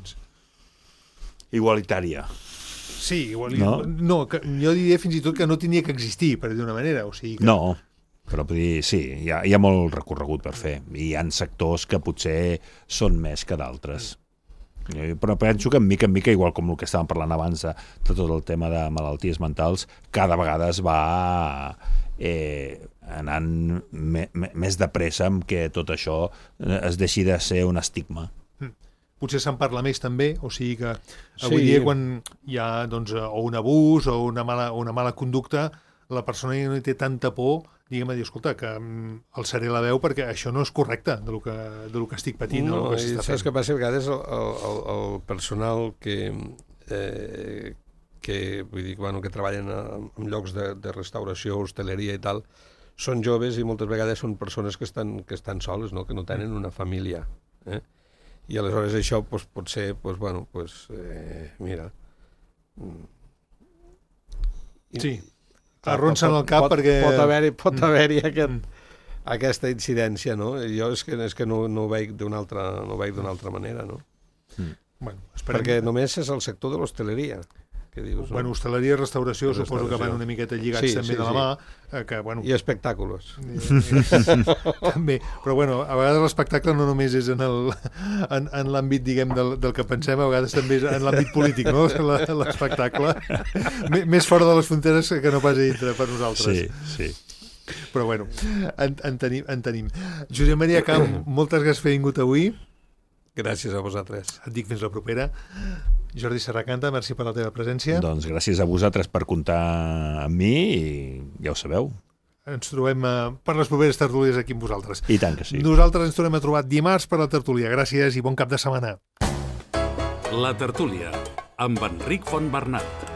Igualitària. Sí, igual, No? no que, jo diria fins i tot que no tenia que existir, per dir d'una manera. O sigui que... No, però vull dir, sí, hi ha, hi ha molt recorregut per fer. I hi ha sectors que potser són més que d'altres. Però penso que en mica en mica, igual com el que estàvem parlant abans de, de tot el tema de malalties mentals, cada vegada es va eh, anant me, me, més de pressa amb que tot això es deixi de ser un estigma. Potser se'n parla més també, o sigui que Sí. avui dia quan hi ha doncs, o un abús o una mala, una mala conducta, la persona ja no hi té tanta por, diguem, a dir, escolta, que mm, alçaré la veu perquè això no és correcte de lo que, de lo que estic patint. No, o el que i s'està saps fent. què passa? A vegades el, el, el personal que, eh, que, vull dir, bueno, que treballen a, en llocs de, de restauració, hostaleria i tal, són joves i moltes vegades són persones que estan, que estan soles, no? Que no tenen una família. Eh? I aleshores això pues, pot ser, pues, bueno, pues, eh, mira... Sí, arronsen el cap pot, perquè... Pot haver-hi pot haver aquest, aquesta incidència, no? Jo és que, és que no, no ho veig d'una altra, no ho veig d'una altra manera, no? Bueno, esperem... Perquè només és el sector de l'hostaleria. Què dius? No? Bueno, hostaleria i restauració, Restauració. suposo que van una miqueta lligats Sí, també sí, de la sí. mà, eh, que, bueno... I espectàculos. també, però bueno, a vegades l'espectacle no només és en el- en, en l'àmbit, diguem, del, del que pensem, a vegades també és en l'àmbit polític, no? La- L'espectacle. M- Més fora de les fronteres que no pas a dintre per nosaltres. Sí, sí. Però bueno, en, en, tenim, en tenim. Josep Maria Camp, moltes gràcies per haver vingut avui. Gràcies a vosaltres. Et dic fins la propera. Jordi Serracanta, merci per la teva presència. Doncs gràcies a vosaltres per comptar amb mi i ja ho sabeu. Ens trobem eh, per les properes tertúlies aquí amb vosaltres. I tant que sí. Nosaltres ens tornem a trobar dimarts per la tertúlia. Gràcies i bon cap de setmana. La tertúlia, amb Enric Fontbernat.